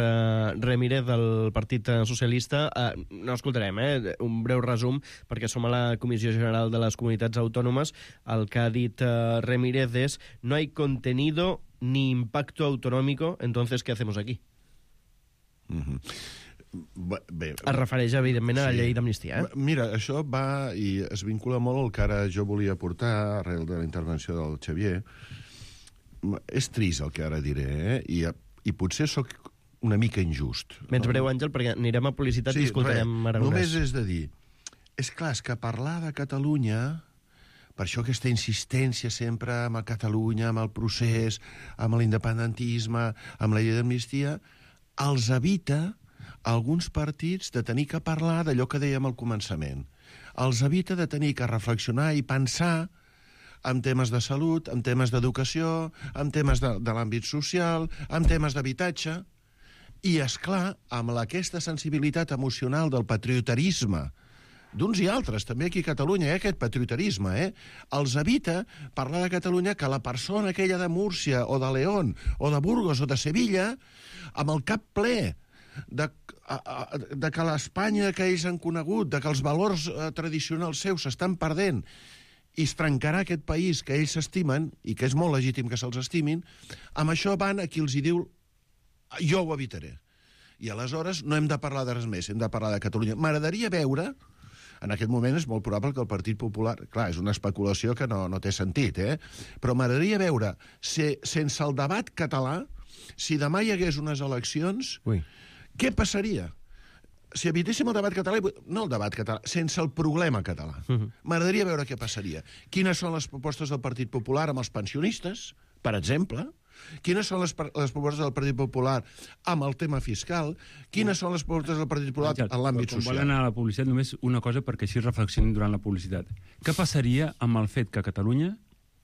Ramírez del Partit Socialista. No escoltarem, un breu resum, perquè som a la Comissió General de les Comunitats Autònomes. El que ha dit Ramírez és: no hay contenido ni impacto autonómico, entonces, ¿qué hacemos aquí? Bé, es refereix, evidentment, a la llei d'amnistia. Mira, això va i es vincula molt al que ara jo volia portar arrel de la intervenció del Xavier. És trist el que ara diré, i potser sóc una mica injust. Menys breu, Àngel, perquè anirem a publicitat i escoltarem Aragonès. Només és de dir, és clar, és que parlar de Catalunya... Per això aquesta insistència sempre amb Catalunya, amb el procés, amb l'independentisme, amb la llei d'amnistia, els evita alguns partits de tenir que parlar d'allò que dèiem al començament. Els evita de tenir que reflexionar i pensar en temes de salut, en temes d'educació, en temes de l'àmbit social, en temes d'habitatge. I, esclar, amb aquesta sensibilitat emocional del patriotarisme d'uns i altres, també aquí a Catalunya, aquest patriotarisme, els evita parlar de Catalunya que la persona aquella de Múrcia o de León o de Burgos o de Sevilla, amb el cap ple de que l'Espanya que ells han conegut, de que els valors tradicionals seus s'estan perdent i es trencarà aquest país que ells s'estimen i que és molt legítim que se'ls estimin, amb això van a qui els hi diu jo ho evitaré. I aleshores no hem de parlar de res més, hem de parlar de Catalunya. M'agradaria veure... En aquest moment és molt probable que el Partit Popular... Clar, és una especulació que no té sentit, però m'agradaria veure, sense el debat català, si demà hi hagués unes eleccions, què passaria? Si evitéssim el debat català, no el debat català, sense el problema català. M'agradaria veure què passaria. Quines són les propostes del Partit Popular amb els pensionistes, per exemple? Quines són les propostes del Partit Popular amb el tema fiscal? Quines són les propostes del Partit Popular en l'àmbit social? Quan volen anar a la publicitat, només una cosa perquè així reflexionin durant la publicitat. Què passaria amb el fet que a Catalunya,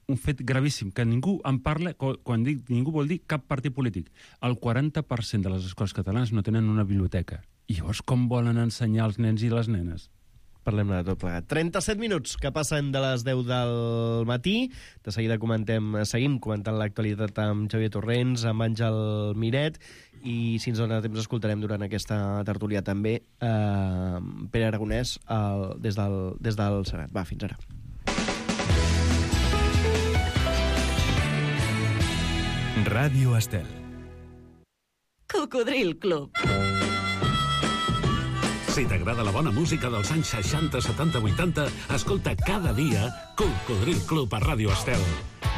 un fet gravíssim, que ningú en parla, quan dic ningú vol dir cap partit polític, el 40% de les escoles catalanes no tenen una biblioteca. I llavors com volen ensenyar els nens i les nenes? Parlem-ne de tot plegat. 37 minuts que passen de les 10 del matí. De seguida seguim comentant l'actualitat amb Xavier Torrents, amb Àngel Miret, i si ens dona temps escoltarem durant aquesta tertúlia també Pere Aragonès des del Senat. Va, fins ara. Ràdio Estel. Cocodril Club. Si t'agrada la bona música dels anys 60, 70, 80, escolta cada dia Cocodril Club a Ràdio Estel.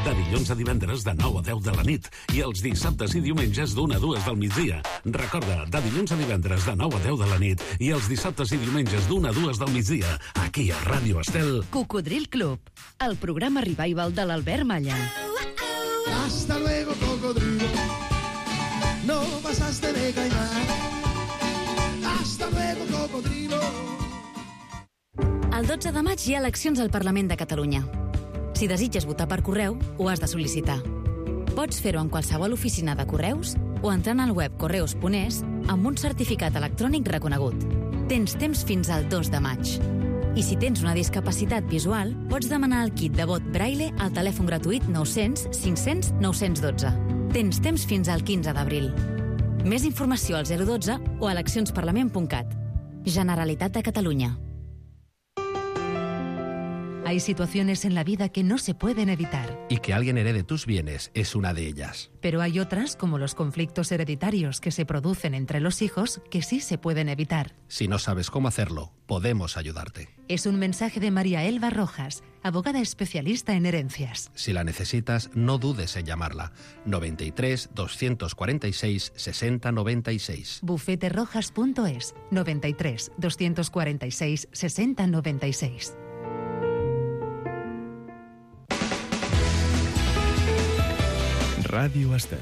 De dilluns a divendres de 9 a 10 de la nit i els dissabtes i diumenges d'1 a 2 del migdia. Recorda, de dilluns a divendres de 9 a 10 de la nit i els dissabtes i diumenges d'1 a 2 del migdia, aquí a Ràdio Estel. Cocodril Club, el programa revival de l'Albert Malla. Hasta luego, cocodrilo. No pasaste de caimán. Hasta luego, cocodrilo. El 12 de maig hi ha eleccions al Parlament de Catalunya. Si desitges votar per correu, ho has de sol·licitar. Pots fer-ho en qualsevol oficina de correus o entrant al web correus.es amb un certificat electrònic reconegut. Tens temps fins al 2 de maig. I si tens una discapacitat visual, pots demanar el kit de vot Braille al telèfon gratuït 900 500 912. Tens temps fins al 15 d'abril. Més informació al 012 o a eleccionsparlament.cat. Generalitat de Catalunya. Hay situaciones en la vida que no se pueden evitar. Y que alguien herede tus bienes es una de ellas. Pero hay otras, como los conflictos hereditarios que se producen entre los hijos, que sí se pueden evitar. Si no sabes cómo hacerlo, podemos ayudarte. Es un mensaje de María Elba Rojas, abogada especialista en herencias. Si la necesitas, no dudes en llamarla. 93 246 60 96. Bufeterojas.es 93 246 60 96. Ràdio Estel.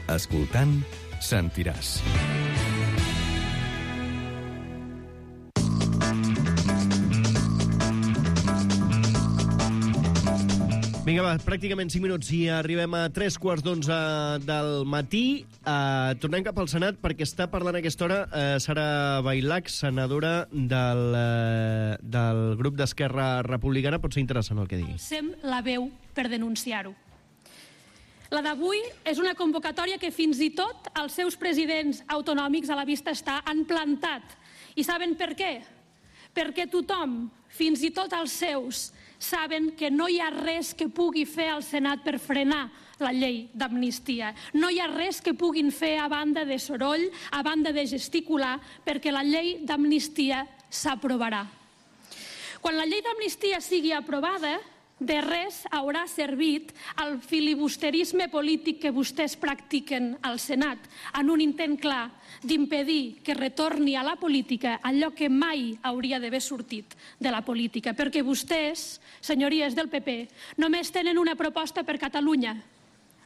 Escoltant, sentiràs. Vinga, va, pràcticament 5 minuts i arribem a 3:15 del matí. Tornem cap al Senat perquè està parlant a aquesta hora Sara Bailac, senadora del grup d'Esquerra Republicana. Pot ser interessant el que digui. Alcem la veu per denunciar-ho. La d'avui és una convocatòria que fins i tot els seus presidents autonòmics a la vista està han plantat. I saben per què? Perquè tothom, fins i tot els seus, saben que no hi ha res que pugui fer el Senat per frenar la llei d'amnistia. No hi ha res que puguin fer a banda de soroll, a banda de gesticular, perquè la llei d'amnistia s'aprovarà. Quan la llei d'amnistia sigui aprovada, de res haurà servit el filibusterisme polític que vostès practiquen al Senat, en un intent clar d'impedir que retorni a la política allò que mai hauria d'haver sortit de la política. Perquè vostès, senyories del PP, només tenen una proposta per Catalunya: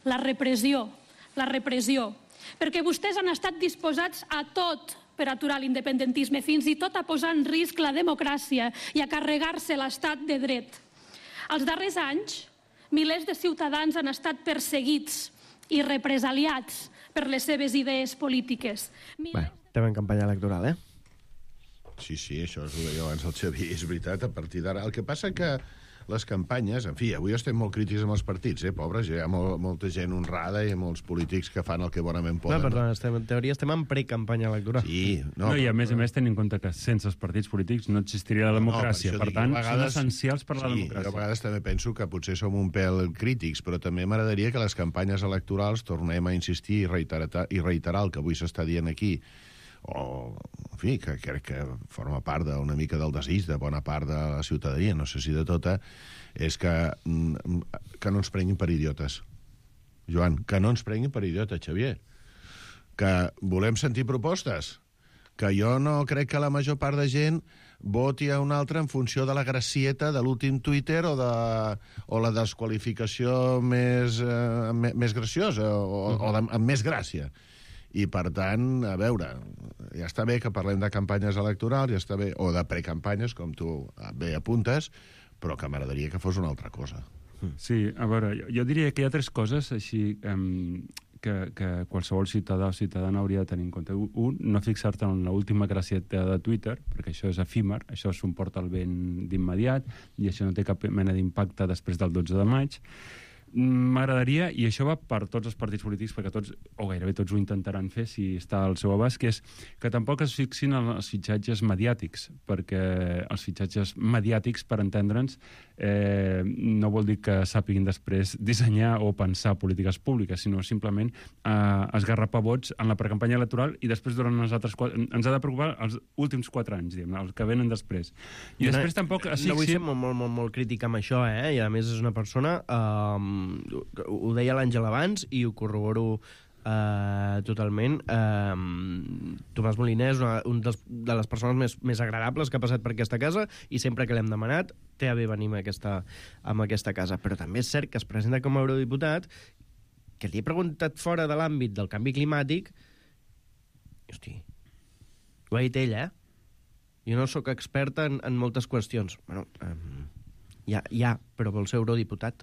la repressió. La repressió. Perquè vostès han estat disposats a tot per aturar l'independentisme, fins i tot a posar en risc la democràcia i a carregar-se l'estat de dret. Els darrers anys, milers de ciutadans han estat perseguits i represaliats per les seves idees polítiques. Bé, estem en campanya electoral, Sí, això ho deia abans el Xavier, és veritat, a partir d'ara. El que passa que les campanyes, en fi, avui estem molt crítics amb els partits, pobres, hi ha molta gent honrada i molts polítics que fan el que bonament poden. No, perdona, en teoria estem en precampanya electoral. Sí. I a més tenint en compte que sense els partits polítics no existiria la democràcia. Per tant, són essencials per la democràcia. Jo a vegades també penso que potser som un pèl crítics, però també m'agradaria que les campanyes electorals tornem a insistir i reiterar el que avui s'està dient aquí, o, en fi, que crec que forma part d'una mica del desig de bona part de la ciutadania, no sé si de tota, és que no ens prenguin per idiotes. Joan, que no ens prenguin per idiotes, Xavier. Que volem sentir propostes. Que jo no crec que la major part de gent voti a un altre en funció de la gracieta de l'últim Twitter o la desqualificació més graciosa o amb més gràcia. I, per tant, a veure, ja està bé que parlem de campanyes electorals, ja està bé, o de precampanyes, com tu bé apuntes, però que m'agradaria que fos una altra cosa. Sí, a veure, jo diria que hi ha 3 coses així que qualsevol ciutadà o ciutadana hauria de tenir en compte. Un, no fixar-te en l'última gracieta de Twitter, perquè això és efímer, això s'emporta el vent d'immediat i això no té cap mena d'impacte després del 12 de maig. M'agradaria, i això va per tots els partits polítics, perquè tots, o gairebé tots ho intentaran fer si està al seu abast, que és que tampoc es fixin en els fitxatges mediàtics, perquè els fitxatges mediàtics, per entendre'ns, no vol dir que sàpiguin després dissenyar o pensar polítiques públiques, sinó simplement esgarrapar vots en la precampanya electoral i després durant els altres 4... Ens ha de preocupar els últims 4 anys, diguem, els que venen després. I després tampoc... No vull ser molt crític amb això, i a més és una persona... ho deia l'Àngel abans i ho corroboro totalment. Tomàs Moliner és una de les persones més agradables que ha passat per aquesta casa i sempre que l'hem demanat té a bé venir a aquesta casa. Però també és cert que es presenta com a eurodiputat, que li he preguntat fora de l'àmbit del canvi climàtic. Hosti, ho ha dit ell, Jo no sóc experta en moltes qüestions. Bueno, però vol ser eurodiputat.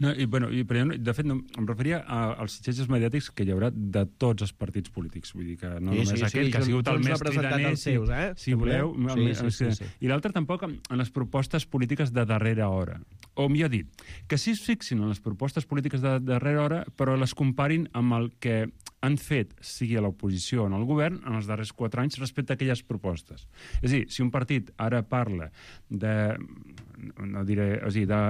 No, però de fet, em referia als fitxatges mediàtics que hi haurà de tots els partits polítics. Vull dir que no només aquell, que ha sigut el més cridaner, si voleu. I l'altre tampoc en les propostes polítiques de darrera hora. O millor dit, que sí es fixin en les propostes polítiques de darrera hora, però les comparin amb el que han fet, sigui a l'oposició o en el govern, en els darrers 4 anys respecte a aquelles propostes. És a dir, si un partit ara parla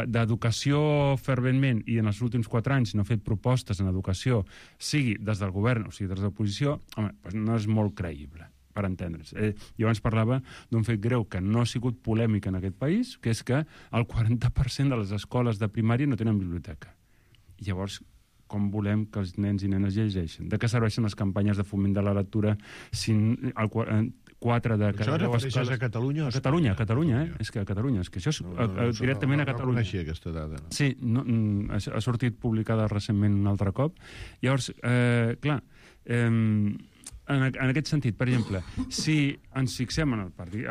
d'educació ferventment i en els últims 4 anys no ha fet propostes en educació, sigui des del govern o sigui des de l'oposició, home, doncs no és molt creïble, per entendre's. Jo abans parlava d'un fet greu que no ha sigut polèmic en aquest país, que és que el 40% de les escoles de primària no tenen biblioteca. I llavors, com volem que els nens i nenes llegeixen? De què serveixen les campanyes de foment de la lectura si 4 de cada 10 escoles... Això a Catalunya? A Catalunya, És que a Catalunya. És que això és directament a Catalunya. No coneixia aquesta dada. Sí, ha sortit publicada recentment un altre cop. Llavors, clar, en aquest sentit, per exemple, si ens fixem en el partit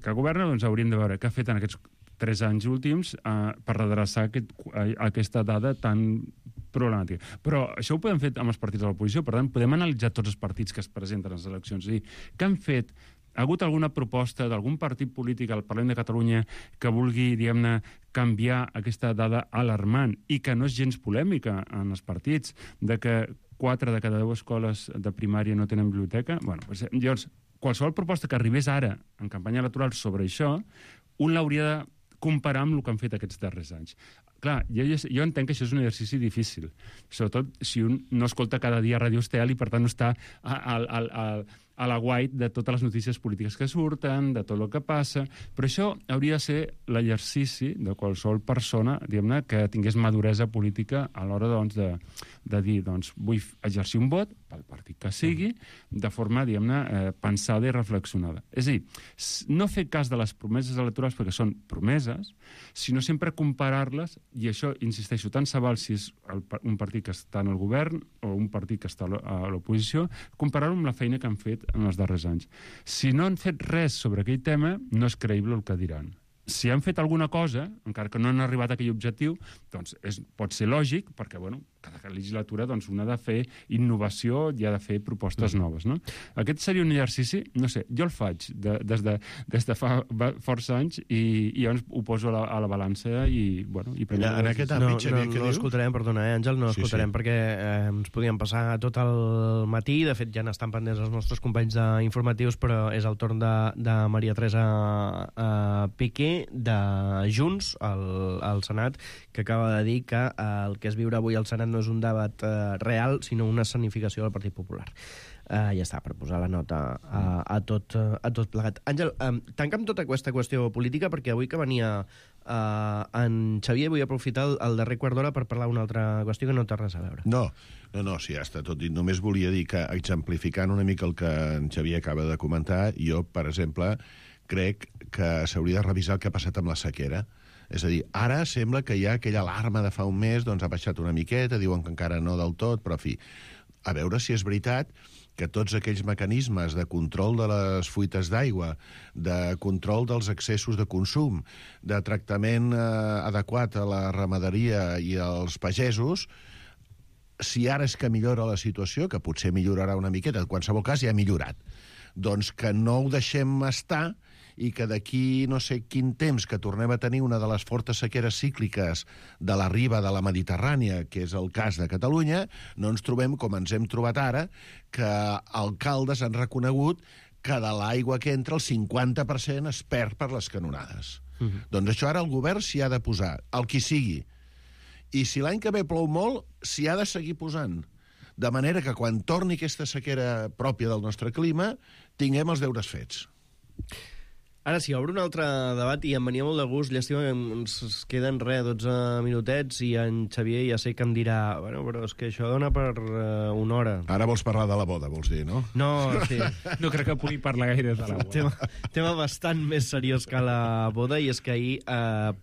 que governa, doncs hauríem de veure què ha fet en aquests 3 anys últims per redreçar aquesta dada tan problemàtica. Però això ho podem fer amb els partits de l'oposició, per tant, podem analitzar tots els partits que es presenten a les eleccions. És a dir, què han fet? Ha hagut alguna proposta d'algun partit polític al Parlament de Catalunya que vulgui, diguem-ne, canviar aquesta dada alarmant i que no és gens polèmica en els partits, de que 4 de cada 10 escoles de primària no tenen biblioteca? Bueno, llavors, qualsevol proposta que arribés ara en campanya electoral sobre això, un l'hauria de comparar amb el que han fet aquests darrers anys. Clar, jo entenc que això és un exercici difícil, sobretot si un no escolta cada dia Ràdio Estel i per tant no està a la guait de totes les notícies polítiques que surten, de tot el que passa, però això hauria de ser l'exercici de qualsevol persona, diguem-ne, que tingués maduresa política a l'hora, doncs, de dir, doncs, vull exercir un vot pel partit que sigui, de forma, diguem-ne, pensada i reflexionada. És a dir, no fer cas de les promeses electorals perquè són promeses, sinó sempre comparar-les, i això, insisteixo, tant se val si és un partit que està en el govern o un partit que està a l'oposició, comparar-ho amb la feina que han fet en els darrers anys. Si no han fet res sobre aquell tema, no és creïble el que diran. Si han fet alguna cosa, encara que no han arribat a aquell objectiu, doncs pot ser lògic, perquè, bueno, cada legislatura doncs, una ha de fer innovació i ha de fer propostes noves, no? Aquest seria un exercici, no sé, jo el faig des de fa força anys i llavors ho poso a la balança i, bueno... En aquest àmbit, Xavier, què diu? No l'escoltarem, perdona, Àngel, no l'escoltarem perquè ens podíem passar tot el matí, de fet ja n'estan pendents els nostres companys d'informatius, però és el torn de Maria Teresa Piqué, de Junts, al Senat, que acaba de dir que el que es viure avui al Senat no és un debat real, sinó una escenificació del Partit Popular. Ja està, per posar la nota a tot plegat. Àngel, tanca'm tota aquesta qüestió política, perquè avui que venia en Xavier vull aprofitar el darrer quart d'hora per parlar d'una altra qüestió que no té res a veure. No, sí, ja està tot dit. Només volia dir que, exemplificant una mica el que en Xavier acaba de comentar, jo, per exemple, crec que s'hauria de revisar el que ha passat amb la sequera. És a dir, ara sembla que hi ha aquella alarma de fa un mes, doncs ha baixat una miqueta, diuen que encara no del tot, però, en fi, a veure si és veritat que tots aquells mecanismes de control de les fuites d'aigua, de control dels excessos de consum, de tractament adequat a la ramaderia i als pagesos, si ara és que millora la situació, que potser millorarà una miqueta, en qualsevol cas ja ha millorat, doncs que no ho deixem estar i que d'aquí no sé quin temps que tornem a tenir una de les fortes sequeres cícliques de la riba de la Mediterrània, que és el cas de Catalunya, no ens trobem com ens hem trobat ara, que alcaldes han reconegut que de l'aigua que entra el 50% es perd per les canonades. Doncs això ara el govern s'hi ha de posar, el qui sigui. I si l'any que ve plou molt, s'hi ha de seguir posant. De manera que quan torni aquesta sequera pròpia del nostre clima, tinguem els deures fets. Ara sí, obre un altre debat i em venia molt de gust. Llàstima que ens queden 12 minutets i en Xavier ja sé que em dirà bueno, però és que això dona per una hora. Ara vols parlar de la boda, vols dir, no? No, sí. No crec que pugui parlar gaire de la boda. Tema bastant més seriós que la boda, i és que ahir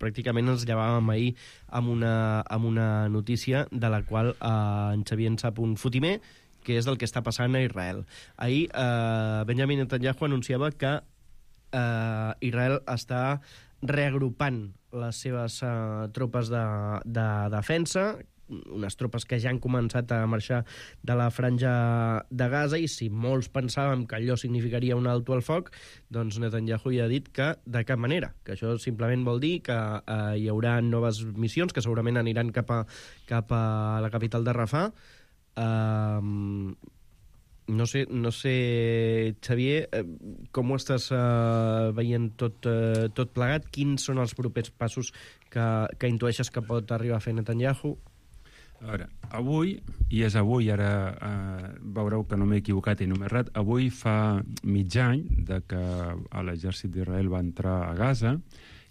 pràcticament ens llevàvem ahir amb una notícia de la qual en Xavier en sap un fotimer, que és del que està passant a Israel. Ahir Benjamin Netanyahu anunciava que Israel està reagrupant les seves tropes de defensa, unes tropes que ja han començat a marxar de la franja de Gaza, i si molts pensàvem que allò significaria un alto al foc, doncs Netanyahu ja ha dit que de cap manera, que això simplement vol dir que hi haurà noves missions que segurament aniran cap a la capital de Rafah, No sé, Xavier, com ho estàs veient tot plegat? Quins són els propers passos que intueixes que pot arribar a fer Netanyahu? A veure, avui, i és avui, ara veureu que no m'he equivocat i no m'he errat, avui fa mig any de que l'exèrcit d'Israel va entrar a Gaza,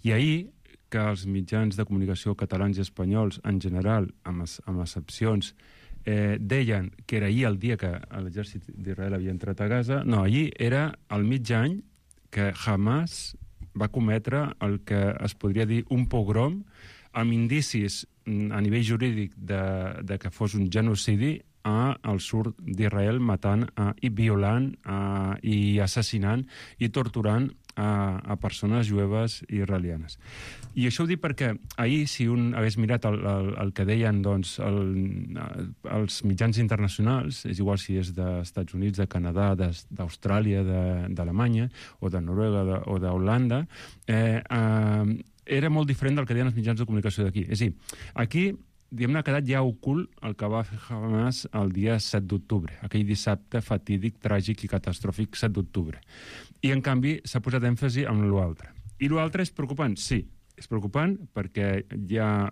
i ahir que els mitjans de comunicació catalans i espanyols, en general, amb excepcions, deien que era ahir el dia que l'exèrcit d'Israel havia entrat a Gaza. No, ahir era el mig any que Hamas va cometre el que es podria dir un pogrom amb indicis a nivell jurídic de que fos un genocidi al sud d'Israel, matant i violant i assassinant i torturant a persones jueves israelianes. I això ho dic perquè ahir, si un hagués mirat el que deien els mitjans internacionals, és igual si és dels Estats Units, de Canadà, d'Austràlia, d'Alemanya, o de Noruega o d'Holanda, era molt diferent del que deien els mitjans de comunicació d'aquí. És a dir, aquí diguem-ne, ha quedat ja ocult el que va fer Hamas el dia 7 d'octubre, aquell dissabte fatídic, tràgic i catastròfic 7 d'octubre. I, en canvi, s'ha posat èmfasi en l'altre. I l'altre és preocupant? Sí, és preocupant perquè ja...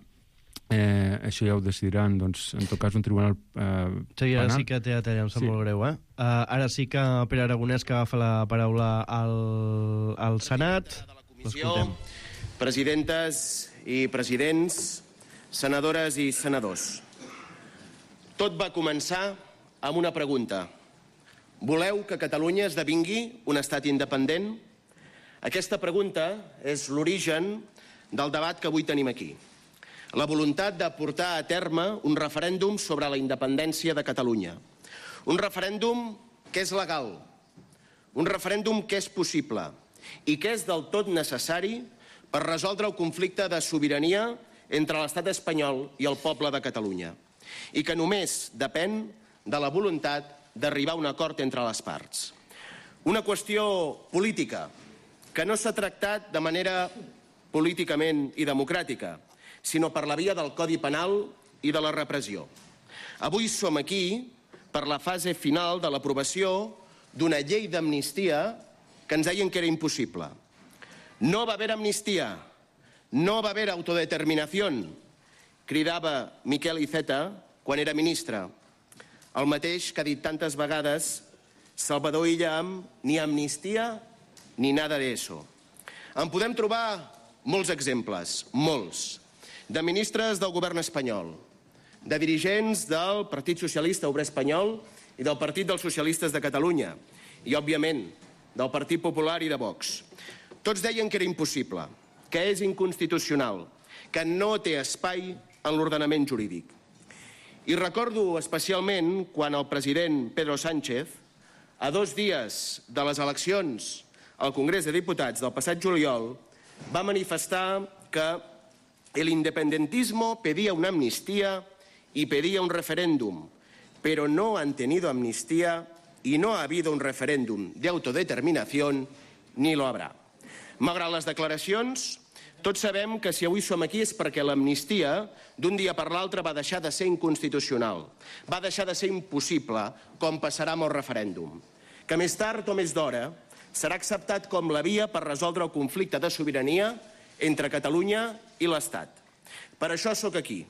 això ja ho decidiran, doncs, en tot cas, un tribunal Xavier, ara sí que t'he de tallar, em sap molt greu, ara sí que Pere Aragonès, que agafa la paraula al Senat. L'escoltem. Presidentes i presidents, senadores i senadors. Tot va començar amb una pregunta. Voleu que Catalunya esdevingui un estat independent? Aquesta pregunta és l'origen del debat que avui tenim aquí. La voluntat de portar a terme un referèndum sobre la independència de Catalunya. Un referèndum que és legal, un referèndum que és possible i que és del tot necessari per resoldre el conflicte de sobirania entre l'estat espanyol i el poble de Catalunya, i que només depèn de la voluntat d'arribar a un acord entre les parts. Una qüestió política que no s'ha tractat de manera políticament i democràtica, sinó per la via del Codi Penal i de la repressió. Avui som aquí per la fase final de l'aprovació d'una llei d'amnistia que ens deien que era impossible. No va haver amnistia, no va haver autodeterminación, cridava Miquel Iceta quan era ministre. El mateix que ha dit tantes vegades Salvador Illa amb ni amnistia ni nada de eso. En podem trobar molts exemples, molts, de ministres del govern espanyol, de dirigents del Partit Socialista Obrer Espanyol i del Partit dels Socialistes de Catalunya, i, òbviament, del Partit Popular i de Vox. Tots deien que era impossible, que és inconstitucional, que no té espai en l'ordenament jurídic. I recordo especialment quan el president Pedro Sánchez, a 2 dies de les eleccions al Congrés de Diputats del passat juliol, va manifestar que el independentismo pedía una amnistía y pedía un referéndum, pero no han tenido amnistía y no ha habido un referéndum de autodeterminación ni lo habrá. Malgrat les declaracions, tots sabem que si avui som aquí és perquè l'amnistia d'un dia per l'altre va deixar de ser inconstitucional, va deixar de ser impossible, com passarà amb el referèndum, que més tard o més d'hora serà acceptat com la via per resoldre el conflicte de sobirania entre Catalunya i l'Estat. Per això sóc aquí,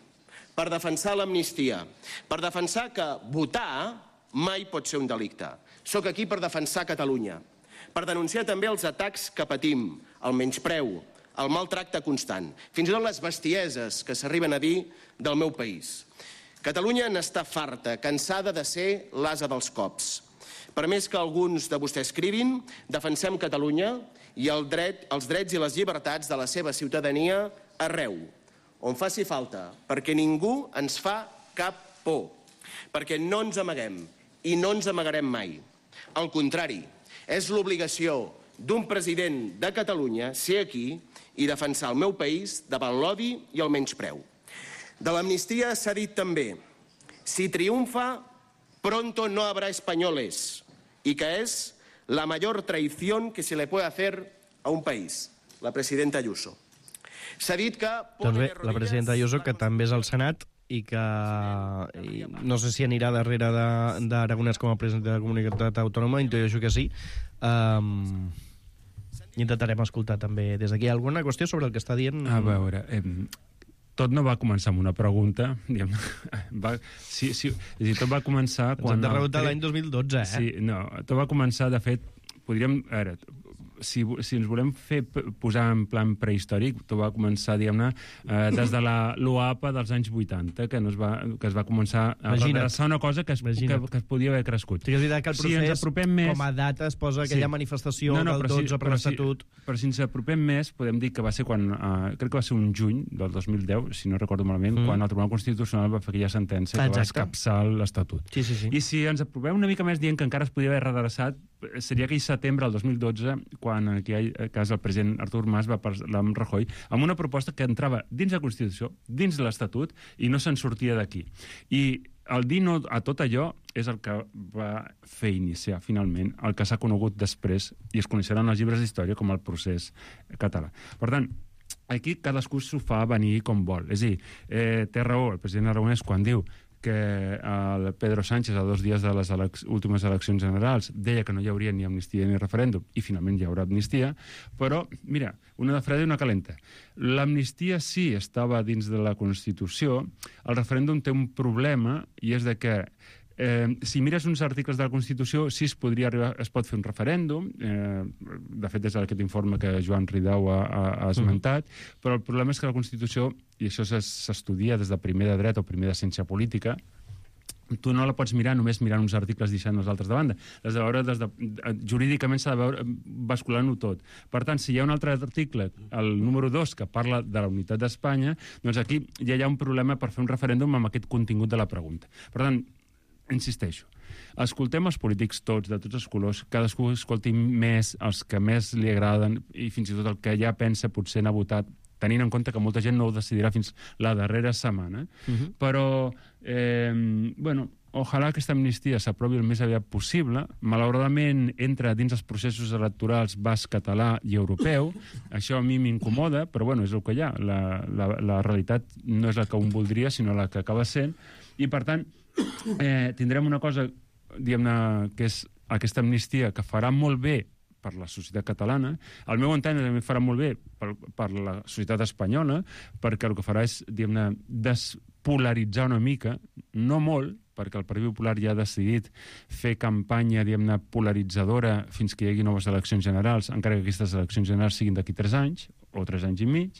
per defensar l'amnistia, per defensar que votar mai pot ser un delicte. Sóc aquí per defensar Catalunya, per denunciar també els atacs que patim, el menyspreu, el maltracte constant, fins i tot les bestieses que s'arriben a dir del meu país. Catalunya n'està farta, cansada de ser l'ase dels cops. Per més que alguns de vostès escrivin, defensem Catalunya i els drets i les llibertats de la seva ciutadania arreu, on faci falta, perquè ningú ens fa cap por, perquè no ens amaguem i no ens amagarem mai. Al contrari, és l'obligació d'un president de Catalunya ser aquí i defensar el meu país davant l'odi i el menyspreu. De l'amnistia s'ha dit també: si triunfa, pronto no habrá españoles, y que es la mayor traición que se le puede hacer a un país. La presidenta Ayuso. S'ha dit que... Doncs bé, la presidenta Ayuso, que també és al Senat i que no sé si anirà darrere d'Aragonès com a president de la comunitat autònoma, intueixo que sí. Intentarem escoltar també des d'aquí alguna qüestió sobre el que està dient. A veure, tot no va començar amb una pregunta. Tot va començar quan... Ens hem de preguntar l'any 2012, eh? Sí, no, tot va començar, de fet, podríem... A veure, si ens volem posar en plan prehistòric, tot va començar, diguem-ne, des de l'OAPA dels anys 80, que es va començar a redreçar una cosa que es podia haver crescut. Sí, és veritat que el procés, com a data, es posa aquella manifestació del 12 per l'Estatut. Però si ens apropem més, podem dir que va ser quan, crec que va ser un juny del 2010, si no recordo malament, quan el Tribunal Constitucional va fer aquella sentència que va escapçar l'Estatut. I si ens apropem una mica més dient que encara es podia haver redreçat, seria aquell setembre del 2012, quan en aquell cas el president Artur Mas va parlar amb Rajoy amb una proposta que entrava dins la Constitució, dins de l'Estatut, i no se'n sortia d'aquí. I el dir no a tot allò és el que va fer iniciar, finalment, el que s'ha conegut després i es coneixeran els llibres d'història com el procés català. Per tant, aquí cadascú s'ho fa venir com vol. És a dir, té raó el president Aragonès quan diu que el Pedro Sánchez, a 2 dies de les últimes eleccions generals, deia que no hi hauria ni amnistia ni referèndum, i finalment hi haurà amnistia, però, mira, una de freda i una calenta. L'amnistia sí estava dins de la Constitució, el referèndum té un problema, i és de que si mires uns articles de la Constitució, sí es pot fer un referèndum, de fet és aquest informe que Joan Ridao ha esmentat, però el problema és que la Constitució, i això s'estudia des de primer de dret o primer de ciència política, tu no la pots mirar només mirant uns articles deixant els altres de banda. Jurídicament s'ha de veure basculant-ho tot. Per tant, si hi ha un altre article, el número 2, que parla de la unitat d'Espanya, doncs aquí ja hi ha un problema per fer un referèndum amb aquest contingut de la pregunta. Per tant, insisteixo, escoltem els polítics tots, de tots els colors, cadascú escolti més els que més li agraden i fins i tot el que ja pensa potser n'ha votat, tenint en compte que molta gent no ho decidirà fins la darrera setmana. Però, bueno, ojalà aquesta amnistia s'aprovi el més aviat possible. Malauradament entra dins els processos electorals basc, català i europeu. Això a mi m'incomoda, però bueno, és el que hi ha. La realitat no és la que un voldria, sinó la que acaba sent. I per tant, tindrem una cosa, diguem-ne, que és aquesta amnistia que farà molt bé per la societat catalana. Al meu entendre també farà molt bé per la societat espanyola, perquè el que farà és, diguem-ne, despolaritzar una mica, no molt, perquè el Partit Popular ja ha decidit fer campanya, diguem-ne, polaritzadora fins que hi hagi noves eleccions generals, encara que aquestes eleccions generals siguin d'aquí 3 anys, o 3 anys i mig,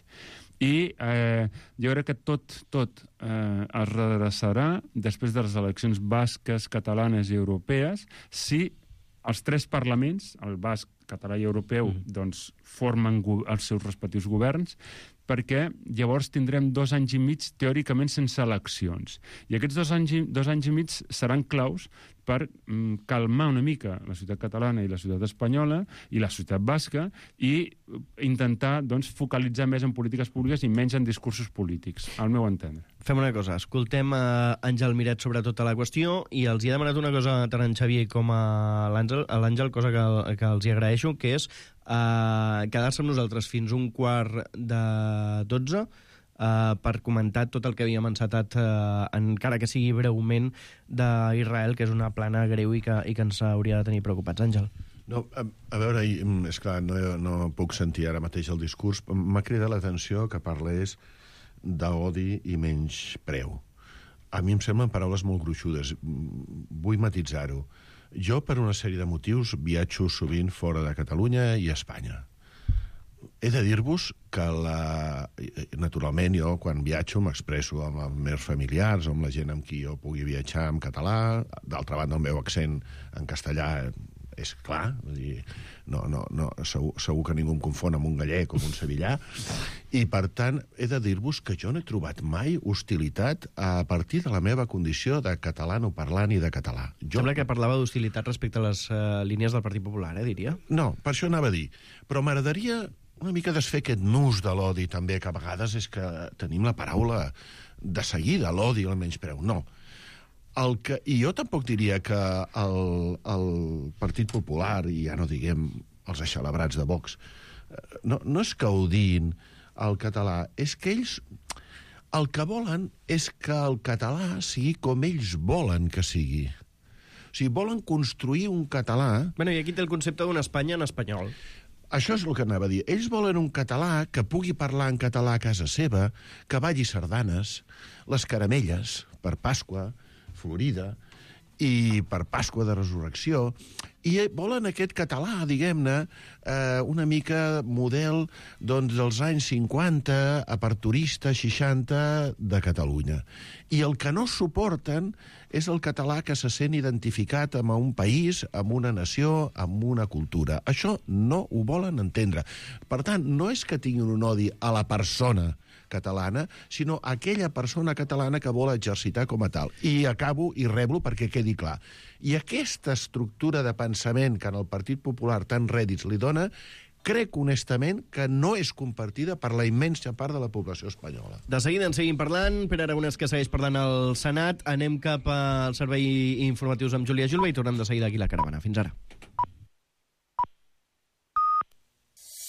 i jo crec que tot es redreçarà després de les eleccions basques, catalanes i europees si els 3 parlaments, el basc, català i europeu, doncs formen els seus respectius governs, perquè llavors tindrem 2 anys i mig teòricament sense eleccions. I aquests 2 anys i mig seran claus per calmar una mica la societat catalana i la societat espanyola i la societat basca i intentar, doncs, focalitzar més en polítiques públiques i menys en discursos polítics, al meu entendre. Fem una cosa, escoltem a Àngel Miret sobre tota la qüestió i els hi he demanat una cosa tant a en Xavier com a l'Àngel, cosa que els hi agraeixo, que és quedar-se amb nosaltres fins 11:45 per comentar tot el que havíem encetat, encara que sigui breument, d'Israel, que és una plana greu i que ens hauria de tenir preocupats. Àngel. No, a veure, és clar, no puc sentir ara mateix el discurs. M'ha cridat l'atenció que parlés d'odi i menyspreu. A mi em semblen paraules molt gruixudes. Vull matisar-ho. Jo, per una sèrie de motius, viatjo sovint fora de Catalunya i Espanya. He de dir-vos que, naturalment, jo, quan viatjo, m'expresso amb els meus familiars o amb la gent amb qui jo pugui viatjar en català. D'altra banda, el meu accent en castellà és clar, segur que ningú em confon amb un gallec o amb un sevillà, i per tant he de dir-vos que jo no he trobat mai hostilitat a partir de la meva condició de catalanoparlant i de català. Sembla que parlava d'hostilitat respecte a les línies del Partit Popular, diria? No, per això anava a dir, però m'agradaria una mica desfer aquest nus de l'odi també, que a vegades és que tenim la paraula de seguida, l'odi i el menyspreu. No. I jo tampoc diria que el Partit Popular, i ja no diguem els eixelebrats de Vox, no és que odin el català, és que ells el que volen és que el català sigui com ells volen que sigui. O sigui, volen construir un català... Bueno, i aquí té el concepte d'una Espanya en espanyol. Això és el que anava a dir. Ells volen un català que pugui parlar en català a casa seva, que balli sardanes, les caramelles, per Pasqua, Florida, i per Pasqua de Resurrecció, i volen aquest català, diguem-ne, una mica model dels anys 50, aperturista, 60 de Catalunya. I el que no suporten és el català que se sent identificat amb un país, amb una nació, amb una cultura. Això no ho volen entendre. Per tant, no és que tinguin un odi a la persona catalana, sinó a aquella persona catalana que vol exercitar com a tal. I acabo i reblo perquè quedi clar. I aquesta estructura de pensament que en el Partit Popular tant rèdits li dona, crec honestament que no és compartida per la immensa part de la població espanyola. De seguida en seguim parlant. Pere Aragonès, que segueix parlant al Senat. Anem cap als serveis informatius amb Júlia Julve i tornem de seguida aquí a La Caravana. Fins ara.